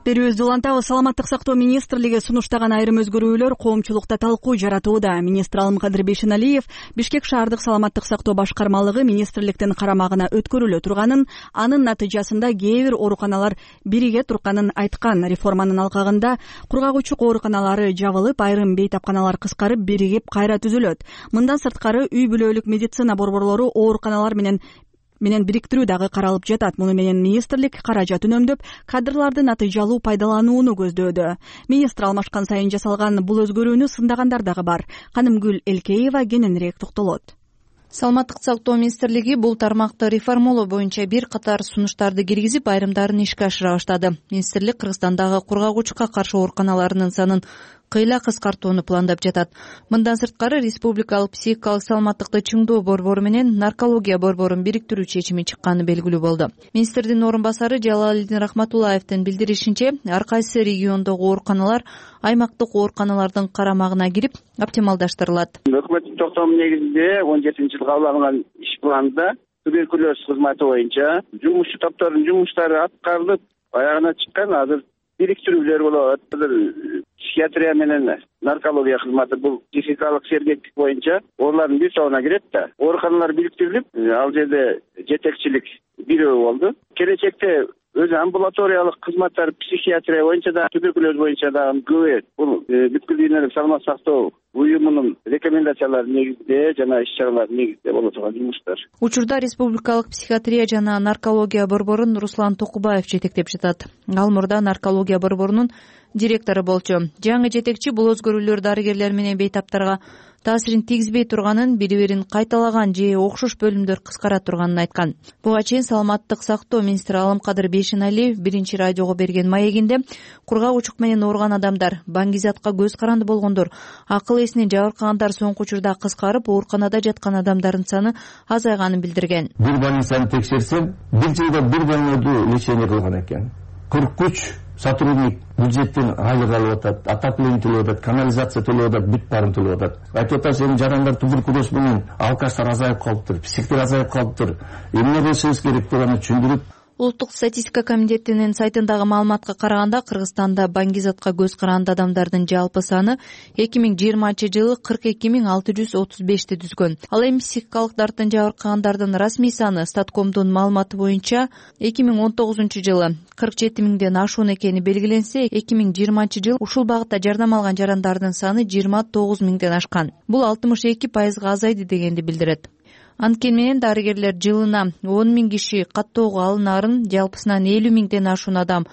A: Берүүбүздү улантабыз. Саламаттык сактоо министрлиги сунуштаган айрым өзгөрүүлөр коомчулукта талкуу жаратууда. Министр Алымкадыр Бейшеналиев Бишкек шаардык саламаттык сактоо башкармалыгы министрликтин карамагына өткөрүлө турганын, анын натыйжасында кээ бир ооруканалар бириге турганын айткан. Реформанын алкагында кургагучук ооруканалары жабылып, айрым бейтапканалар кыскарып, биригип кайра түзүлөт. Мындан сырткары үй бүлөлүк медицина борборлору ооруканалар менен менен бириктирүү дагы каралып жатат. Муну менен министрлик каражат үнөмдөп, кадрларды натыйжалуу пайдаланууну көздөөдө. Министр алмашкан сайын жасалган бул өзгөрүүнү сындагандар дагы бар. Канымгүл Элкеева кененирээк токтолот.
B: Саламаттык сактоо министрлиги бул тармакты реформалоо боюнча бир катар сунуштарды киргизип, айрымдарын ишке ашыра баштады. Министрлик Кыргызстандагы кургагучукка каршы ооруканаларынын санын кыйла кыскартууну пландап жатат. Мындан сырткары республикалык психикалык саламаттыкты чыңдоо борбору менен наркология борборун бириктирүү чечими чыкканы белгилүү болду. Министрдин орун басары Жалалидин Рахматуллаевдин билдиришинче, ар кайсы региондогу ооруканалар аймактык ооруканалардын карамагына кирип оптималдаштырылат.
E: Өкмөттүн токтому негизинде он жетинчи жылы кабыл алынган иш планда туберкулез кызматы боюнча жумушчу топтордун жумуштары аткарылып, аягына чыккан. Азыр бириктирүүлөр болот. Психиатрия менен наркология кызматы бул психикалык сергектик боюнча олардын бир тобуна кирет да. Ооруканалар бириктирилип, ал жерде жетекчилик бирөө болду. Келечекте өзү амбулаториялык кызматтар психиатрия боюнча да, туберкулез боюнча дагы көбөйөт. Бул бүткүл дүйнөлүк саламаттык сактоо уюмунун рекомендациялары негизинде жана иш-чаралар негизинде боло турган жумуштар.
B: Учурда республикалык психиатрия жана наркология борборун Руслан Токубаев жетектеп жатат. Ал мурда наркология борборунун директору болчу. Жаңы жетекчи бул өзгөрүүлөр дарыгерлер менен бейтаптарга таасирин тийгизбей турганын, бири-бирин кайталаган же окшош бөлүмдөр кыскара турганын айткан. Буга чейин саламаттык сактоо министри Алымкадыр Бейшеналиев биринчи радиого берген маегинде кургагучук менен ооруган адамдар, баңгизатка көз каранды болгондор, акыл эсинен жабыркагандар соңку учурда кыскарып, ооруканада жаткан адамдардын саны азайганын билдирген.
G: Бир больницаны текшерсем, бир жылда бир больнойду лечение кылган экен. кырк үч
C: сотрудник бюджеттен айлык алып атат, отопление төлөп атат, канализация төлөп атат, бүт баарын төлөп атат. Айтып атасыз, эми жарандар туберкулез менен алкаштар азайып калыптыр, психтер азайып калыптыр. Эмне кылышыбыз керек деп аны түшүндүрүп.
B: Улуттук статистика комитетинин сайтындагы маалыматка караганда Кыргызстанда баңгизатка көз каранды адамдардын жалпы саны эки миң жыйырманчы жылы кырк эки миң алты жүз отуз бешти түзгөн. Ал эми психикалык дарттан жабыркагандардын расмий саны Статкомдун маалыматы боюнча эки миң он тогузунчу жылы кырк жети миңден ашуун экени белгиленсе, эки миң жыйырманчы жылы ушул багытта жардам алган жарандардын саны жыйырма тогуз миңден ашкан. Бул алтымыш эки пайызга азайды дегенди билдирет. Анткени менен дарыгерлер жылына он миң киши каттоого алынаарын, жалпысынан элүү миңден ашуун адам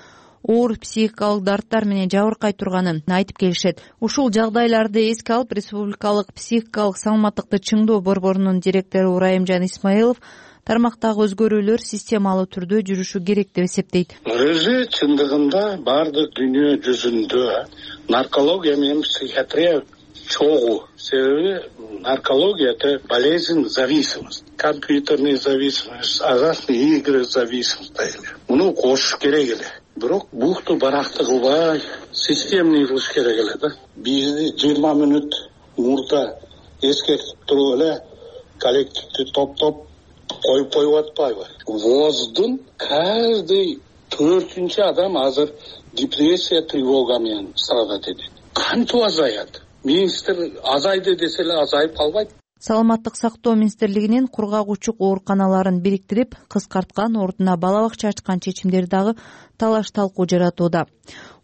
B: оор психикалык дарттар менен жабыркай турганын айтып келишет. Ушул жагдайларды эске алып, Республикалык психикалык саламаттыкты чыңдоо борборунун директору Урайымжан Исмаилов тармактагы өзгөрүүлөр системалуу түрдө жүрүшү керек деп эсептейт.
G: Өзү чындыгында бардык дүйнө жүзүндө наркология менен психиатрия чогуу. Себеби наркология — это болезнь, зависимость, компьютерная зависимость, азартные игры зависимость. Муну кошуш керек эле. Бирок букту баракты кылбай, системный кылыш керек эле да. Бизди жыйырма мүнөт мурда эскертип туруп эле коллективди топтоп коюп коюп атпайбы? ВОЗдун каждый төртүнчү адам азыр депрессия, тревога менен страдать этет. Кантип азаят? Министр азайды десе эле азайып калбайт.
B: Саламаттык сактоо министрлигинин кургак учук ооруканаларын бириктирип, кыскарткан, ордуна бала бакча ачкан чечимдери дагы талаш талкуу жаратууда.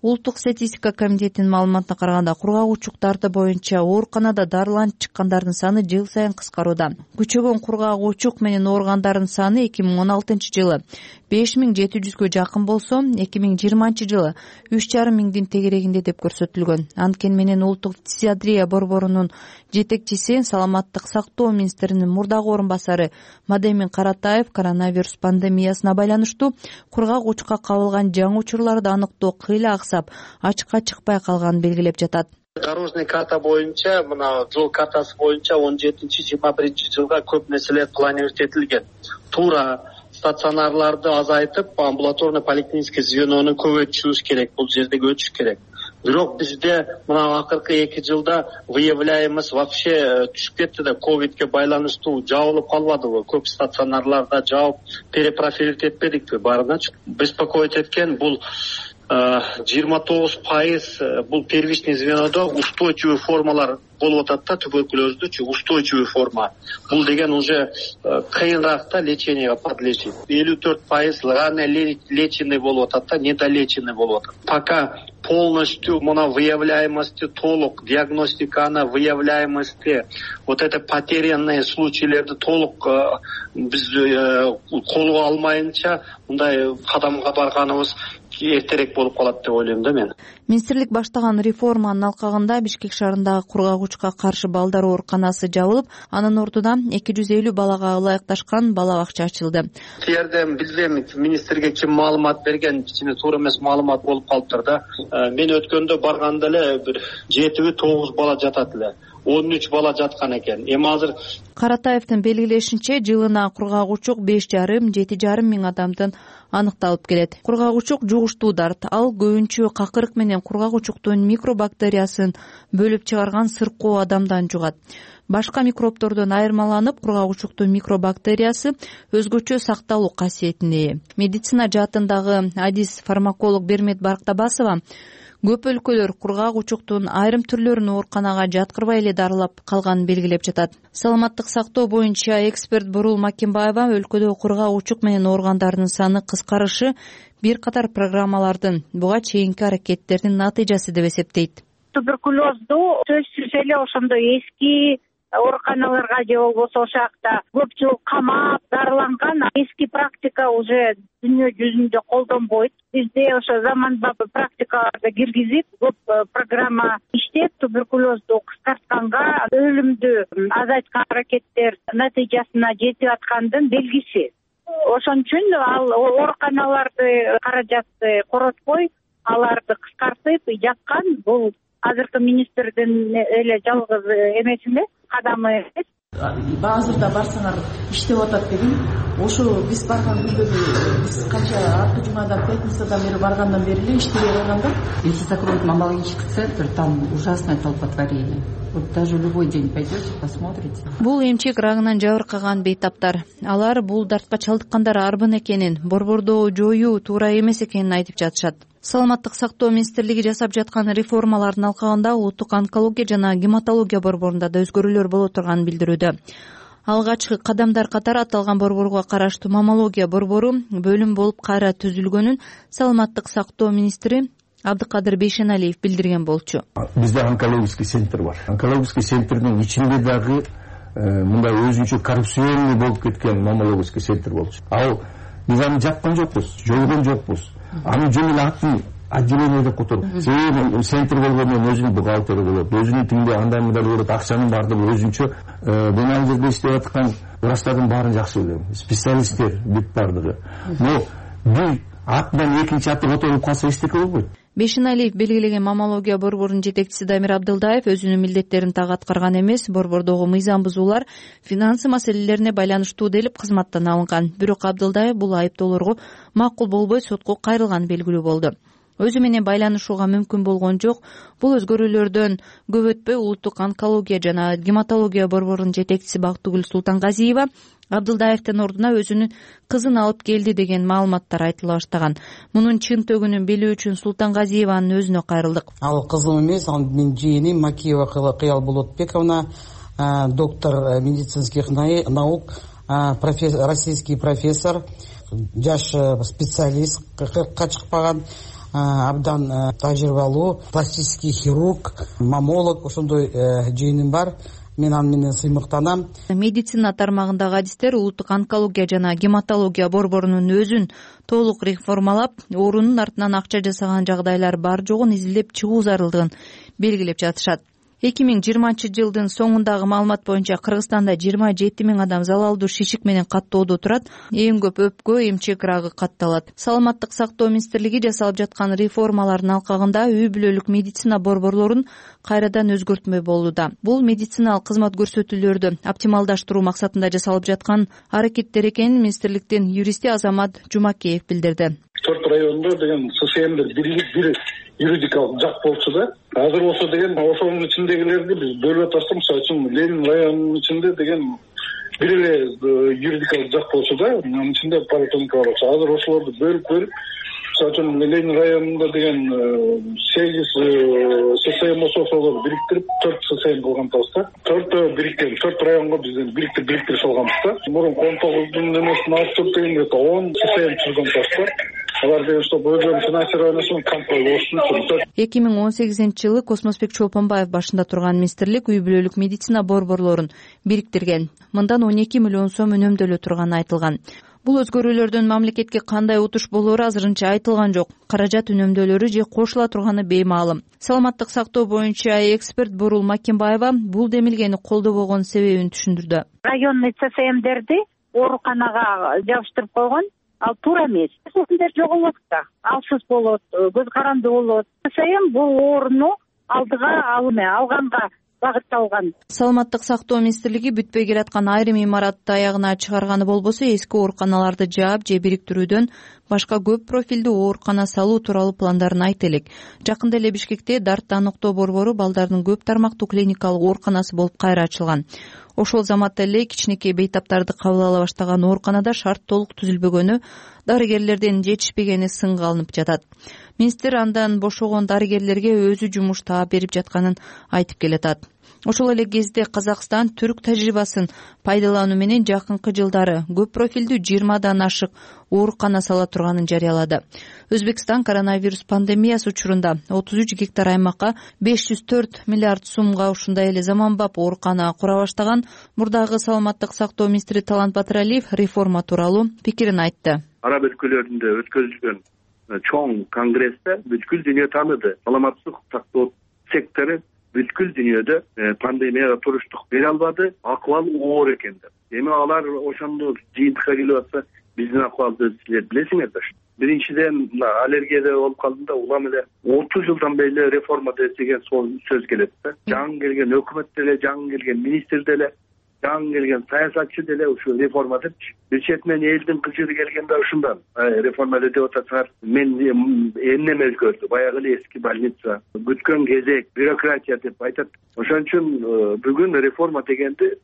B: Улуттук статистика комитетинин маалыматына караганда, кургак учуктарды боюнча ооруканада дарыланып чыккандардын саны жыл сайын кыскарууда. Күчөгөн кургак учук менен ооругандардын саны эки миң он алтынчы жылы беш миң жети жүзгө жакын болсо, эки миң жыйырманчы жылы үч жарым миңдин тегерегинде деп көрсөтүлгөн. Анткени менен улуттук психиатрия борборунун жетекчиси, саламаттык сактоо министринин мурдагы орун басары Мадемин Каратаев коронавирус пандемиясына байланыштуу кургак учукка кабылган жаңы учурларды аныктоо кыйла аксап, ачыкка чыкпай калганын белгилеп жатат.
J: Дорожный карта боюнча, мына жол картасы боюнча он жетинчи жыйырма биринчи жылга көп нерселер планировать этилген. Туура стационарларды азайтып, амбулаторный поликлинический звенону көбөйтүшүбүз керек, бул жерде өтүш керек. Бирок бизде мына акыркы эки жылда выявляемость вообще түшүп кетти да, ковидке байланыштуу жабылып калбадыбы? Көп стационарларда жабып перепрофилировать этпедикпи? Баарыначы беспокоить эткен бул жыйырма тогуз пайыз бул первичный звенодо устойчивый формалар болуп атат да, туберкулездучу устойчивый форма. Бул деген уже кыйыныраак да леченияга подлежит. элүү төрт пайыз рано леченный болуп атат да, недолеченный болуп атат. Пока полностью мына выявляемости толук, диагностиканы выявляемости, вот это потерянные случайлерди толук биз колго алмайынча мындай кадамга барганыбыз эртерээк болуп калат деп ойлойм да мен.
B: Министрлик баштаган реформанын алкагында Бишкек шаарындагы кургак учукка каршы балдар ооруканасы жабылып, анын ордуна эки жүз элүү балага ылайыкташкан бала бакча ачылды.
J: Тиерден билбейм, министрге ким маалымат берген, кичине туура эмес маалымат болуп калыптыр да. Мен өткөндө барганда эле бир жетиби тогуз бала жатат эле. он үч бала жаткан экен. Эми азыр
B: Каратаевдин белгилешинче, жылына кургак учук беш жарым жети жарым миң адамдын аныкталып келет. Кургак учук жугуштуу дарт. Ал көбүнчө какырык менен кургак учуктун микробактериясын бөлүп чыгарган сыркоо адамдан жугат. Башка микробтордон айырмаланып, кургак учуктун микробактериясы өзгөчө сакталуу касиетине ээ. Медицина жаатындагы адис фармаколог Бермет Барктабасова көп өлкөлөр кургак учуктун айрым түрлөрүн ооруканага жаткырбай эле дарылап калганын белгилеп жатат. Саламаттык сактоо боюнча эксперт Бурул Макимбаева өлкөдө кургак учук менен ооругандардын саны кыскарышы бир катар программалардын буга чейинки аракеттердин натыйжасы деп эсептейт.
X: Туберкулезду сөзсүз эле ошондой эски ооруканаларга же болбосо ошол жакта көп жыл камап дарыланган эски практика уже дүйнө жүзүндө колдонбойт. Бизде ошо заманбап практикаларды киргизип, көп программа иштеп, туберкулезду кыскартканга, өлүмдү азайткан аракеттер натыйжасына жетип аткандын белгиси. Ошон үчүн ал ооруканаларды каражатты коротпой, аларды кыскартып жапкан бул азыркы министрдин эле жалгыз эмеси эмес, кадамы эмес.
O: Азырда барсаңар иштеп атат деген, ошо биз барган күндөгү биз канча артка жумадан пятницадан бери баргандан бери эле иштебей калган да.
D: Если закроют мамологический центр, там ужасное толпотворение. Вот даже любой день пойдете, посмотрите.
B: Бул эмчек рагынан жабыркаган бейтаптар. Алар бул дартка чалдыккандар арбын экенин, борборду жоюу туура эмес экенин айтып жатышат. Саламаттык сактоо министрлиги жасап жаткан реформалардын алкагында улуттук онкология жана гематология борборунда да өзгөрүүлөр боло турганын билдирүүдө. Алгачкы кадамдар катары аталган борборго караштуу маммология борбору бөлүм болуп кайра түзүлгөнүн саламаттык сактоо министри Абдыкадыр Бейшеналиев билдирген болчу.
C: Бизде онкологический центр бар. Онкологический центрдин ичинде дагы мындай өзүнчө коррупционный болуп кеткен маммологический центр болчу. Ал биз аны жапкан жокпуз, жойгон жокпуз. Аны жөн эле атын отделение деп которуп. Себеби центр болгондон өзүнүн бухгалтери болот, өзүнүн тилинде андай мындай болот, акчанын баардыгы өзүнчө. Мен ал жерде иштеп аткан врачтардын баарын жакшы билем. Специалисттер бүт баардыгы. Но бир атынан экинчи аты которуп калса эчтеке болбойт.
B: Бейшеналиев белгилеген маммология борборунун жетекчиси Дамир Абдылдаев өзүнүн милдеттерин так аткарган эмес, борбордогу мыйзам бузуулар финансы маселелерине байланыштуу делип кызматтан алынган. Бирок Абдылдаев бул айыптоолорго макул болбой сотко кайрылганы белгилүү болду. Өзү менен байланышууга мүмкүн болгон жок. Бул өзгөрүүлөрдөн көп өтпөй улуттук онкология жана гематология борборунун жетекчиси Бактыгүл Султангазиева Абдылдаевдин ордуна өзүнүн кызын алып келди деген маалыматтар айтыла баштаган. Мунун чын төгүнүн билүү үчүн Султангазиеванын өзүнө кайрылдык.
O: Ал кызым эмес, ал менин жыйыным Макиева Кыял Болотбековна, доктор медицинских наук, российский профессор, жаш специалист, кыркка чыкпаган, абдан тажрыйбалуу, пластический хирург, маммолог, ошондой жыйыным бар. Мен аны менен сыймыктанам.
B: Медицина тармагындагы адистер улуттук онкология жана гематология борборунун өзүн толук реформалап, орунун артынан акча жасаган жагдайлар бар жогун изилдеп чыгуу зарылдыгын белгилеп жатышат. эки миң жыйырманчы жылдын соңундагы маалымат боюнча Кыргызстанда жыйырма жети миң адам залалдуу шишик менен каттоодо турат. Эң көп өпкө, эмчек рагы катталат. Саламаттык сактоо министрлиги жасалып жаткан реформалардын алкагында үй бүлөлүк медицина борборлорун кайрадан өзгөртмөй болууда. Бул медициналык кызмат көрсөтүүлөрдү оптималдаштыруу максатында жасалып жаткан аракеттер экенин министрликтин юристи Азамат Жумакеев билдирди.
G: Төрт райондо деген ССМдер бирлик бир юридикалык жак болчу да. Азыр болсо деген ошонун ичиндегилерди биз бөлүп атсак, мисалы үчүн Ленин районунун ичинде деген бир эле юридикалык жак болчу да, анын ичинде поликлиника бар. Азыр ошолорду бөлүп бөлүп, мисалы үчүн Ленин районунда деген сегиз ССМ болсо ошолорду бириктирип төрт ССМ кылган атабыз да. Төртөө бириккен, төрт районго бизден бириктирип бириктирип салганбыз да. Мурун он тогуздун эмесин алып туруп деген он ССМ түзгөн атабыз да. Алар деген что өзүнүн финансированиясын контроль болушу үчүн.
B: эки миң он сегизинчи жылы Космосбек Чолпонбаев башында турган министрлик үй бүлөлүк медицина борборлорун бириктирген. Мындан он эки миллион сом үнөмдөлө турганы айтылган. Бул өзгөрүүлөрдөн мамлекетке кандай утуш болоору азырынча айтылган жок. Каражат үнөмдөлөрү же кошула турганы беймаалым. Саламаттык сактоо боюнча эксперт Бурул Макимбаева бул демилгени колдобогон себебин түшүндүрдү.
X: Районный ССМдерди ооруканага жабыштырып койгон. Ал туура эмес. ССМдер жоголот да. Алсыз болот, көз каранды болот. ССМ бул ооруну алдыга алганга багытталган.
B: Саламаттык сактоо министрлиги бүтпөй келаткан айрым имаратты аягына чыгарганы болбосо эски ооруканаларды жаап же бириктирүүдөн башка көп профилдүү оорукана салуу тууралуу пландарын айтты элек. Жакында эле Бишкекте Дартты аныктоо борбору балдардын көп тармактуу клиникалык ооруканасы болуп кайра ачылган. Ошол заматта эле кичинекей бейтаптарды кабыл ала баштаган ооруканада шарт толук түзүлбөгөнү, дарыгерлерден жетишпегени сынга алынып жатат. Министр андан бошогон дарыгерлерге өзү жумуш таап берип жатканын айтып келатат. Ошол эле кезде Казакстан түрк тажрыйбасын пайдалануу менен жакынкы жылдары көп профилдүү жыйырмадан ашык оорукана сала турганын жарыялады. Өзбекстан коронавирус пандемиясы учурунда отуз үч гектар аймакка беш жүз төрт миллиард сумга ушундай эле заманбап оорукана кура баштаган мурдагы саламаттык сактоо министри Талант Батыралиев реформа тууралуу пикирин айтты.
K: Араб өлкөлөрүндө өткөрүлгөн чоң конгрессте бүткүл дүйнө тааныды. Саламаттык сактоо сектору бүткүл дүйнөдө пандемияга туруштук бере албады, акыбал оор экен деп. Эми алар ошондо жыйынтыкка келип атса, биздин акыбалды силер билесиңер да. Биринчиден аллергияда болуп калдым да, улам эле отуз жылдан бери реформа деген сөз келет да. Жаңы келген өкмөт деле, жаңы келген министр деле жаңы келген саясатчы деле ушу реформа депчи. Бир четинен элдин кыжыры келгенде ушундан реформа деп атасыңар. Мен эмнеме өзгөрдү? Баягы эле эски больница, күткөн кезек, бюрократия деп айтат. Ошон үчүн бүгүн реформа дегенди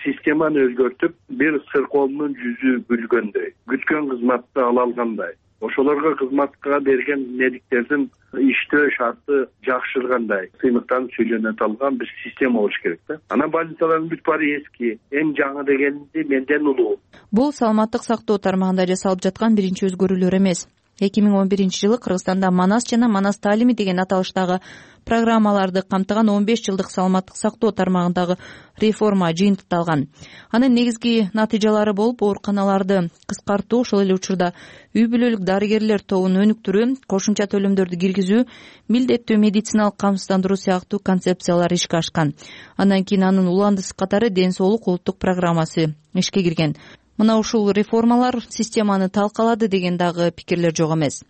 K: системаны өзгөртүп, бир сыркоомдун жүзү күлгөндөй, күткөн кызматты ала алгандай, ошолорго кызматка берген медиктердин иштөө шарты жакшыргандай сыймыктанып сүйлөнө алган бир система болуш керек да. Анан больницалардын бүт баары эски, эң жаңы дегенди менден улуу.
B: Бул саламаттык сактоо тармагында жасалып жаткан биринчи өзгөрүүлөр эмес. эки миң он биринчи жылы Кыргызстанда Манас жана Манас таалими деген аталыштагы программаларды камтыган он беш жылдык саламаттык сактоо тармагындагы реформа жыйынтыкталган. Анын негизги натыйжалары болуп, ооруканаларды кыскартуу, ошол эле учурда үй бүлөлүк дарыгерлер тобун өнүктүрүү, кошумча төлөмдөрдү киргизүү, милдеттүү медициналык камсыздандыруу сыяктуу концепциялар ишке ашкан. Андан кийин анын уландысы катары ден соолук улуттук программасы ишке кирген. Мына ушул реформалар системаны талкалады деген дагы пикирлер жок эмес.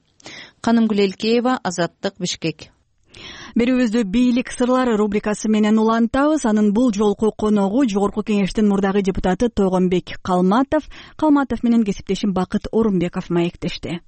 B: Канымгүл Элкеева, Азаттык, Бишкек.
A: Берүүбүздү бийлик сырлары рубрикасы менен улантабыз. Анын бул жолку коногу Жогорку Кеңештин мурдагы депутаты Тойгонбек Калматов. Калматов менен кесиптешим Бакыт Орунбеков маектешти.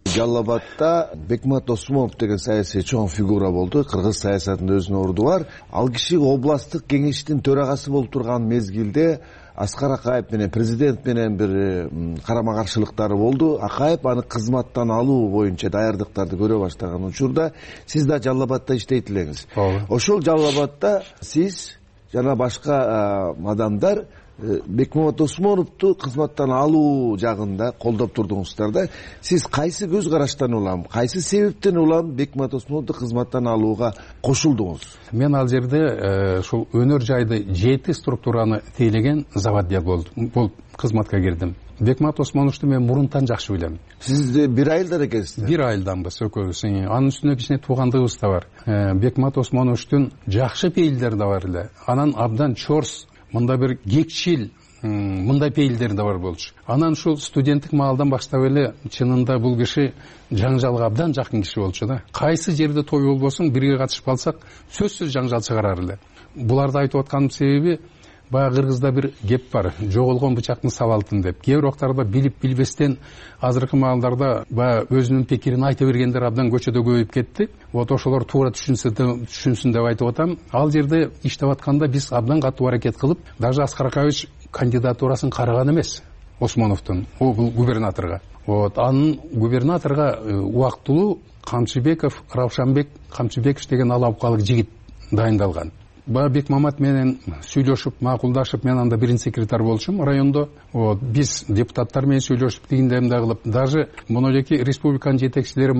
L: Жалал Абадта Бекмамат Осмонов деген саясий чоң фигура болду. Кыргыз саясатында өзүнүн орду бар. Ал киши областтык кеңештин төрагасы болуп турган мезгилде Аскар Акаев менен президент менен бир карама каршылыктары болду. Акаев аны кызматтан алуу боюнча даярдыктарды көрө баштаган учурда сиз да Жалал Абадта иштейт элеңиз. Ошол Жалал Абадта сиз жана башка адамдар Бекмамат Осмоновду кызматтан алуу жагында колдоп турдуңуздар да. Сиз кайсы көз караштан улам, кайсы себептен улам Бекмамат Осмоновду кызматтан алууга кошулдуңуз?
F: Мен ал жерде ушул өнөр жайды жети структураны тейлеген заводия болуп кызматка кирдим. Бекмамат Осмоновду мен мурунтан жакшы билем.
L: Сиз бир айылдар экенсиз?
F: Бир айылданбыз экөөбүз. Анын үстүнө кичине туугандыгыбыз да бар. Бекмамат Осмоновдун жакшы пейилдери да бар эле. Анан абдан чорс, мында бир кекчил, мындай пейилдер да бар болчу. Анан ушул студенттик маалдан баштап эле чынында бул киши жаңжалга абдан жакын киши болчу да. Кайсы жерде той болбосун бирге катышып калсак, сөзсүз жаңжал чыгарар эле. Буларды айтып атканын себеби баягы кыргызда бир кеп бар, жоголгон бычактын сабалтын деп. Кээ бир убактарда билип билбестен азыркы маалдарда баягы өзүнүн пикирин айта бергендер абдан көчөдө көбөйүп кетти. Вот ошолор туура түшүнсүн деп айтып атам. Ал жерде иштеп атканда биз абдан катуу аракет кылып, даже Аскар Акаевич кандидатурасын караган эмес Осмоновдун, бул губернаторго. Вот анын губернаторго убактылуу Камчыбеков, Раушанбек Камчыбеков деген алапкалык жигит дайындалган. Баа Бекмамат менен сүйлөшүп, макулдашып, мен анда биринчи секретарь болчумун райондо. Вот биз депутаттар менен сүйлөшүп, тигиндемде кылып, даже монолеки республиканын жетекчилери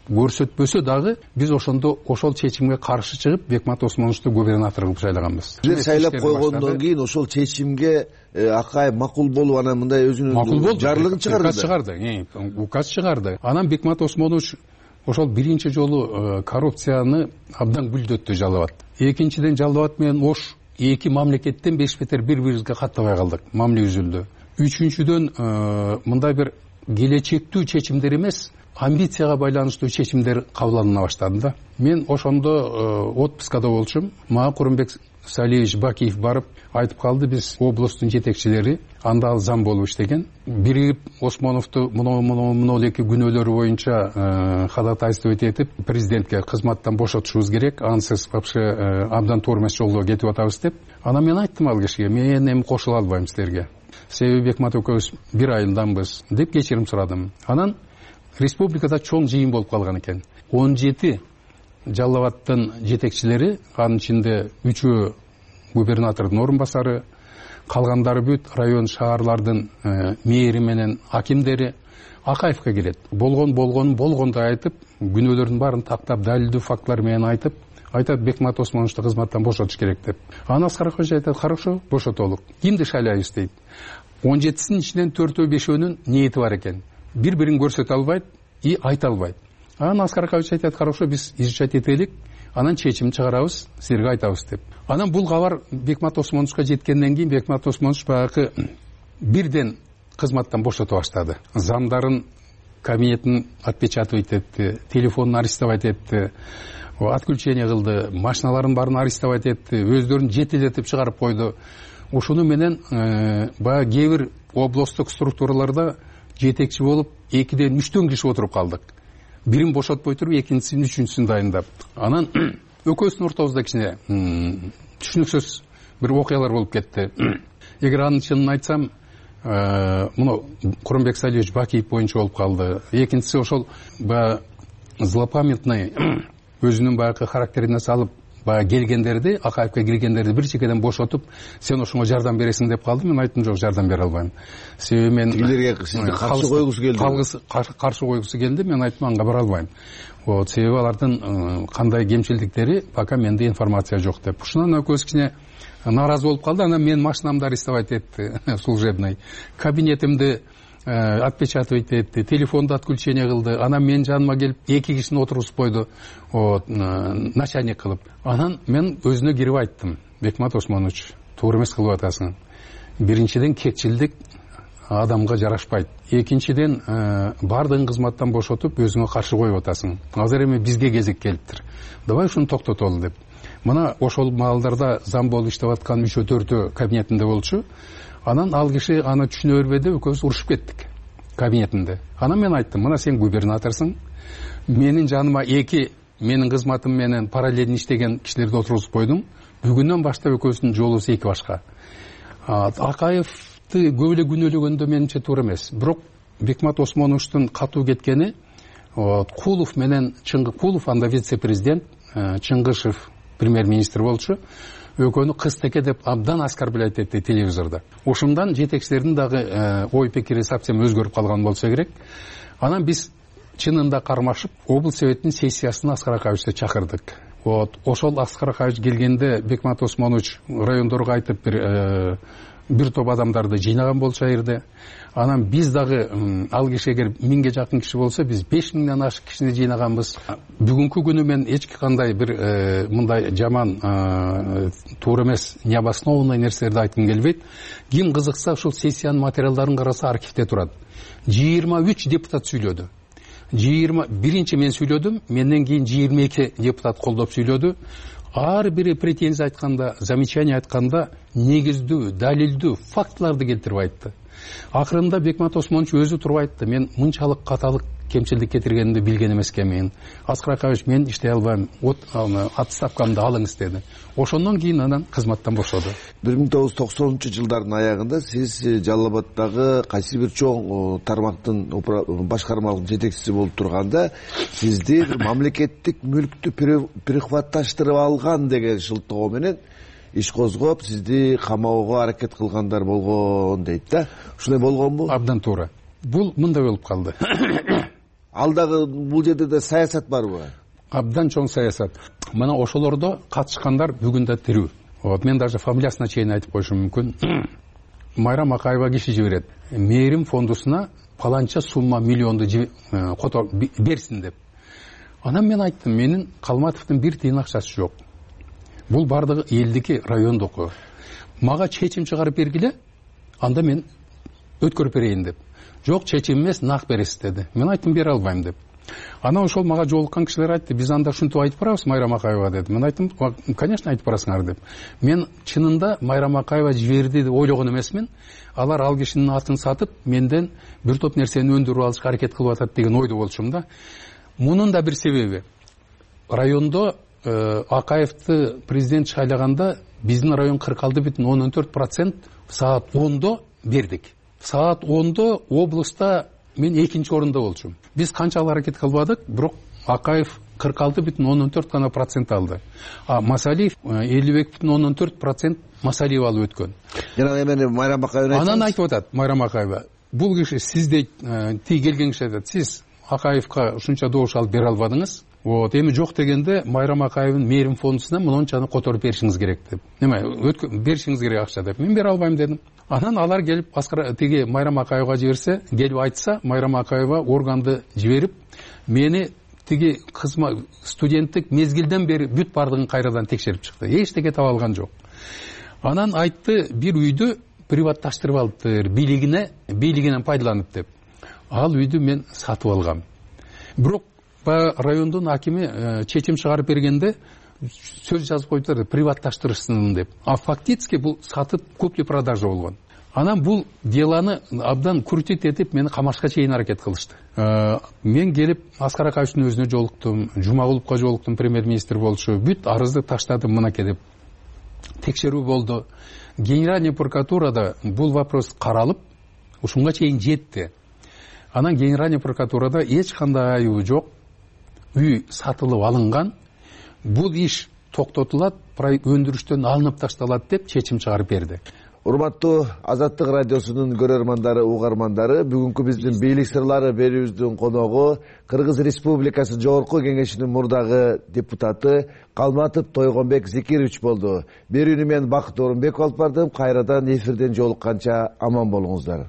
F: көрсөтпөсө дагы биз ошондо ошол чечимге каршы чыгып Бекмамат Осмоновду губернатор кылып шайлаганбыз.
L: Бир шайлап койгондон кийин ошол чечимге Акаев макул болуп, анан мындай өзүнүн жарлыгын чыгарды.
F: Указ чыгарды, указ чыгарды. Анан Бекмамат Осмонович ошол биринчи жолу коррупцияны абдан гүлдөттү Жалал Абад. Экинчиден Жалал Абад менен Ош эки мамлекеттен беш бетер бири-бирибизге каттабай калдык. Мамиле үзүлдү. Үчүнчүдөн мындай бир келечектүү чечимдер эмес, амбицияга байланыштуу чечимдер кабыл алына баштады да. Мен ошондо отпускада болчумун. Мага Курумбек Салиевич Бакиев барып айтып калды, биз областтын жетекчилери анда ал зам болуп иштеген. Биригип Осмоновду моно эки күнөөлөрү боюнча ходатайствовать этип президентке кызматтан бошотушубуз керек, ансыз вообще абдан туура эмес жолго кетип атабыз деп. Анан мен айттым ал кишиге, мен эми кошула албайм силерге. Себеби Бекмамат экөөбүз бир айылданбыз деп кечирим сурадым. Анан республикада чоң жыйын болуп калган экен. он жети Жалал Абадтын жетекчилери, анын ичинде үчөө губернатордун орун басары, калгандары бүт район шаарлардын мэри менен акимдери Акаевке келет. Болгон болгон болгондой айтып, күнөөлөрдүн баарын тактап, далилдүү фактылар менен айтып, айтат Бекмамат Осмоновду кызматтан бошотуш керек деп. Аны Аскар Акаевич айтат, хорошо, бошотолук. Кимди шайлайбыз дейт. он жетисинин ичинен төртөө бешөөнүн ниети бар экен. Бири-бирин көрсөтө албайт и айта албайт. Анан Аскар Акаевич айтат, хорошо, биз изучать этелик, анан чечим чыгарабыз, силерге айтабыз деп. Анан бул кабар Бекмамат Осмоновго жеткенден кийин Бекмамат Осмонов баягы бирден кызматтан бошото баштады. Замдарын кабинетин отпечатывать этти, телефонун арестовать этти, отключение кылды, машиналарын баарын арестовать этти, өздөрүн жетелетип чыгарып койду. ошону менен баягы кээ бир областтык структураларда жетекчи болуп экиден үчтөн киши отуруп калдык. Бирин бошотпой туруп экинчисин үчүнчүсүн дайындап, анан экөөбүздүн ортобузда кичине түшүнүксүз бир окуялар болуп кетти. Эгер анын чынын айтсам, муну Курманбек Салиевич Бакиев боюнча болуп калды. Экинчиси ошол баягы злопамятный өзүнүн баягы характерине салып баягы келгендерди, Акаевке киргендерди бир чекеден бошотуп, сен ошоңо жардам бересиң деп калды. Мен айттым, жок, жардам бере албайм. Себеби мен
L: тилерге сизди каршы койгусу келди.
F: Каршы койгусу келди. Мен айттым, анга бара албайм. Вот, себеби алардын кандай кемчилдиктери пока менде информация жок деп. Ушунан экөөбүз кичине нааразы болуп калды. Анан мен машинамды арестовать этти, служебный. Кабинетимди отпечатывать этти, телефонду отключение кылды. Анан мен жаныма келип эки кишини отургузуп койду, вот, начальник кылып. Анан мен өзүнө кирип айттым: Бекмат Осмонович, туура эмес кылып атасың. Биринчиден кекчилдик адамга жарашпайт. Экинчиден баардыгын кызматтан бошотуп өзүңө каршы коюп атасың. Азыр эми бизге кезек келиптир. Давай ушуну токтотолу деп. Мына ошол маалдарда зам болуп иштеп аткан үчөө төртөө кабинетинде болчу. Анан ал киши аны түшүнө бербеди, экөөбүз урушуп кеттик кабинетинде. Анан мен айттым: мына сен губернаторсуң, менин жаныма эки менин кызматым менен параллельно иштеген кишилерди отургузуп койдуң. Бүгүнөн баштап экөөбүздүн жолубуз эки башка. Акаевди көп эле күнөөлөгөндө менимче туура эмес. Бирок Бекмат Осмоновичтун катуу кеткени, Кулов менен Чыңгы Кулов, анда вице-президент, Чыңгышев премьер-министр болчу. Экөөнү кыз-теке деп абдан оскорблять этти телевизордо. Ошондон жетекчилердин дагы ой пикири совсем өзгөрүп калган болсо керек. Анан биз чынында кармашып облус советинин сессиясына Аскар Акаевичти чакырдык. Вот, ошол Аскар Акаевич келгенде Бекмат Осмонович райондорго айтып бир бир топ адамдарды жыйнаган болчу жерде. Анан биз дагы ал киши эгер миңге жакын киши болсо, биз беш миңден ашык кишини жыйнаганбыз. Бүгүнкү күнү мен эч кандай бир мындай жаман туура эмес необоснованный нерселерди айткым келбейт. Ким кызыкса ушул сессиянын материалдарын караса архивде турат. жыйырма үч депутат сүйлөдү. жыйырма биринчи мен сүйлөдүм, менден кийин жыйырма эки депутат колдоп сүйлөдү. Ар бири претензия айтканда, замечание айтканда негиздүү, далилдүү фактыларды келтирип айтты. Акырында Бекмат Осмонович өзү туруп айтты: мен мынчалык каталык кемчилдик кетиргенимди билген эмес экенмин. Аскар Акаевич, мен иштей албайм, отставкамды алыңыз деди. Ошондон кийин анан кызматтан бошоду.
L: бир миң тогуз жүз токсонунчу жылдардын аягында сиз Жалал Абаддагы кайсы бир чоң тармактын башкармалык жетекчиси болуп турганда, сизди мамлекеттик мүлктү прихватташтырып алган деген шылтоо менен иш козгоп, сизди камоого аракет кылгандар болгон дейт да. Ушундай болгонбу?
F: Абдан туура. Бул мындай болуп калды.
L: Ал дагы бул жерде да саясат барбы?
F: Абдан чоң саясат. Мына ошолордо катышкандар бүгүн да тирүү. Вот, мен даже фамилиясына чейин айтып коюшум мүмкүн. Майрам Акаева киши жиберет. Мээрим фондусуна паланча сумма миллионду берсин деп. Анан мен айттым: менин Калматовдун бир тыйын акчасы жок. Бул бардыгы элдики, райондуку. Мага чечим чыгарып бергиле, анда мен өткөрүп берейин деп. Жок, чечим эмес, нак бересиз деди. Мен айттым: бере албайм деп. Анан ошол мага жолуккан кишилер айтты: биз анда ушинтип айтып барабыз Майрам Акаева деди. Мен айттым: конечно, айтып барасыңар деп. Мен чынында Майрам Акаева жиберди деп ойлогон эмесмин. Алар ал кишинин атын сатып, менден бир топ нерсени өндүрүп алышка аракет кылып атат деген ойдо болчумун да. Мунун да бир себеби. Райондо Акаевди президент шайлаганда биздин район кырк алты бүтүн ондон төрт процент саат ондо бердик. Саат ондо облуста мен экинчи орунда болчумун. Биз канчалык аракет кылбадык, бирок Акаев кырк алты бүтүн ондон төрт гана процент алды. А Масалиев элүү эки бүтүн ондон төрт процент Масалиев алып өткөн.
L: Жана эми Майрам Акаева
F: анан айтып атат Майрам Акаева: бул киши сиз дейт, тиги келген киши айтат: сиз Акаевка ушунча добуш алып бере албадыңыз. Вот, эми жок дегенде Майрам Акаевдин мээрим фондусуна мынчаны которуп беришиңиз керек деп. Неме, беришиңиз керек акча деп. Мен бере албайм дедим. Анан алар келип Аскар тиги Майрам Акаевга жиберсе, келип айтса, Майрам Акаева органды жиберип, мени тиги кызма студенттик мезгилден бери бүт бардыгын кайрадан текшерип чыкты. Эчтеке таба алган жок. Анан айтты: бир үйдү приватташтырып алыптыр, бийлигине, бийлигинен пайдаланып деп. Ал үйдү мен сатып алгам. Бирок райондун акими чечим чыгарып бергенде сөз жазып коюптур приватташтырышсын деп, а фактически бул сатып купли продажа болгон. Анан бул делону абдан крутить этип мени камашка чейин аракет кылышты. Мен келип Аскар Акаевичтин өзүнө жолуктум, Жумагуловго жолуктум, премьер-министр болчу, бүт арызды таштадым мынакей деп. Текшерүү болду. Генеральный прокуратурада бул вопрос каралып, ушунга чейин жетти. Анан Генеральный прокуратурада эч кандай айыбы жок, үй сатылып алынган, бул иш токтотулат, өндүрүштөн алынып ташталат деп чечим чыгарып берди.
L: Урматтуу Азаттык радиосунун көрөрмандары, угармандары, бүгүнкү биздин бийлик сырлары берүүбүздүн коногу Кыргыз Республикасы Жогорку Кеңешинин мурдагы депутаты Калматов Тойгонбек Зекирович болду. Берүүнү мен Бакыт Орунбеков алып бардым. Кайрадан эфирден жолукканча аман болуңуздар.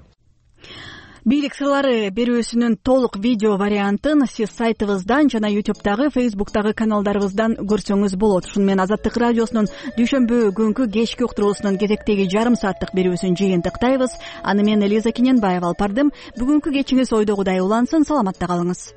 A: Бийлик сырлары берүүсүнүн толук видео вариантын сиз сайтыбыздан жана ютубтагы, фейсбуктагы каналдарыбыздан көрсөңүз болот. Ушуну менен Азаттык радиосунун дүйшөмбү күнкү кечки уктуруусунун кезектеги жарым сааттык берүүсүн жыйынтыктайбыз. Аны мен Элиза Кененбаева алып бардым. Бүгүнкү кечиңиз ойдогудай улансын, саламатта калыңыз.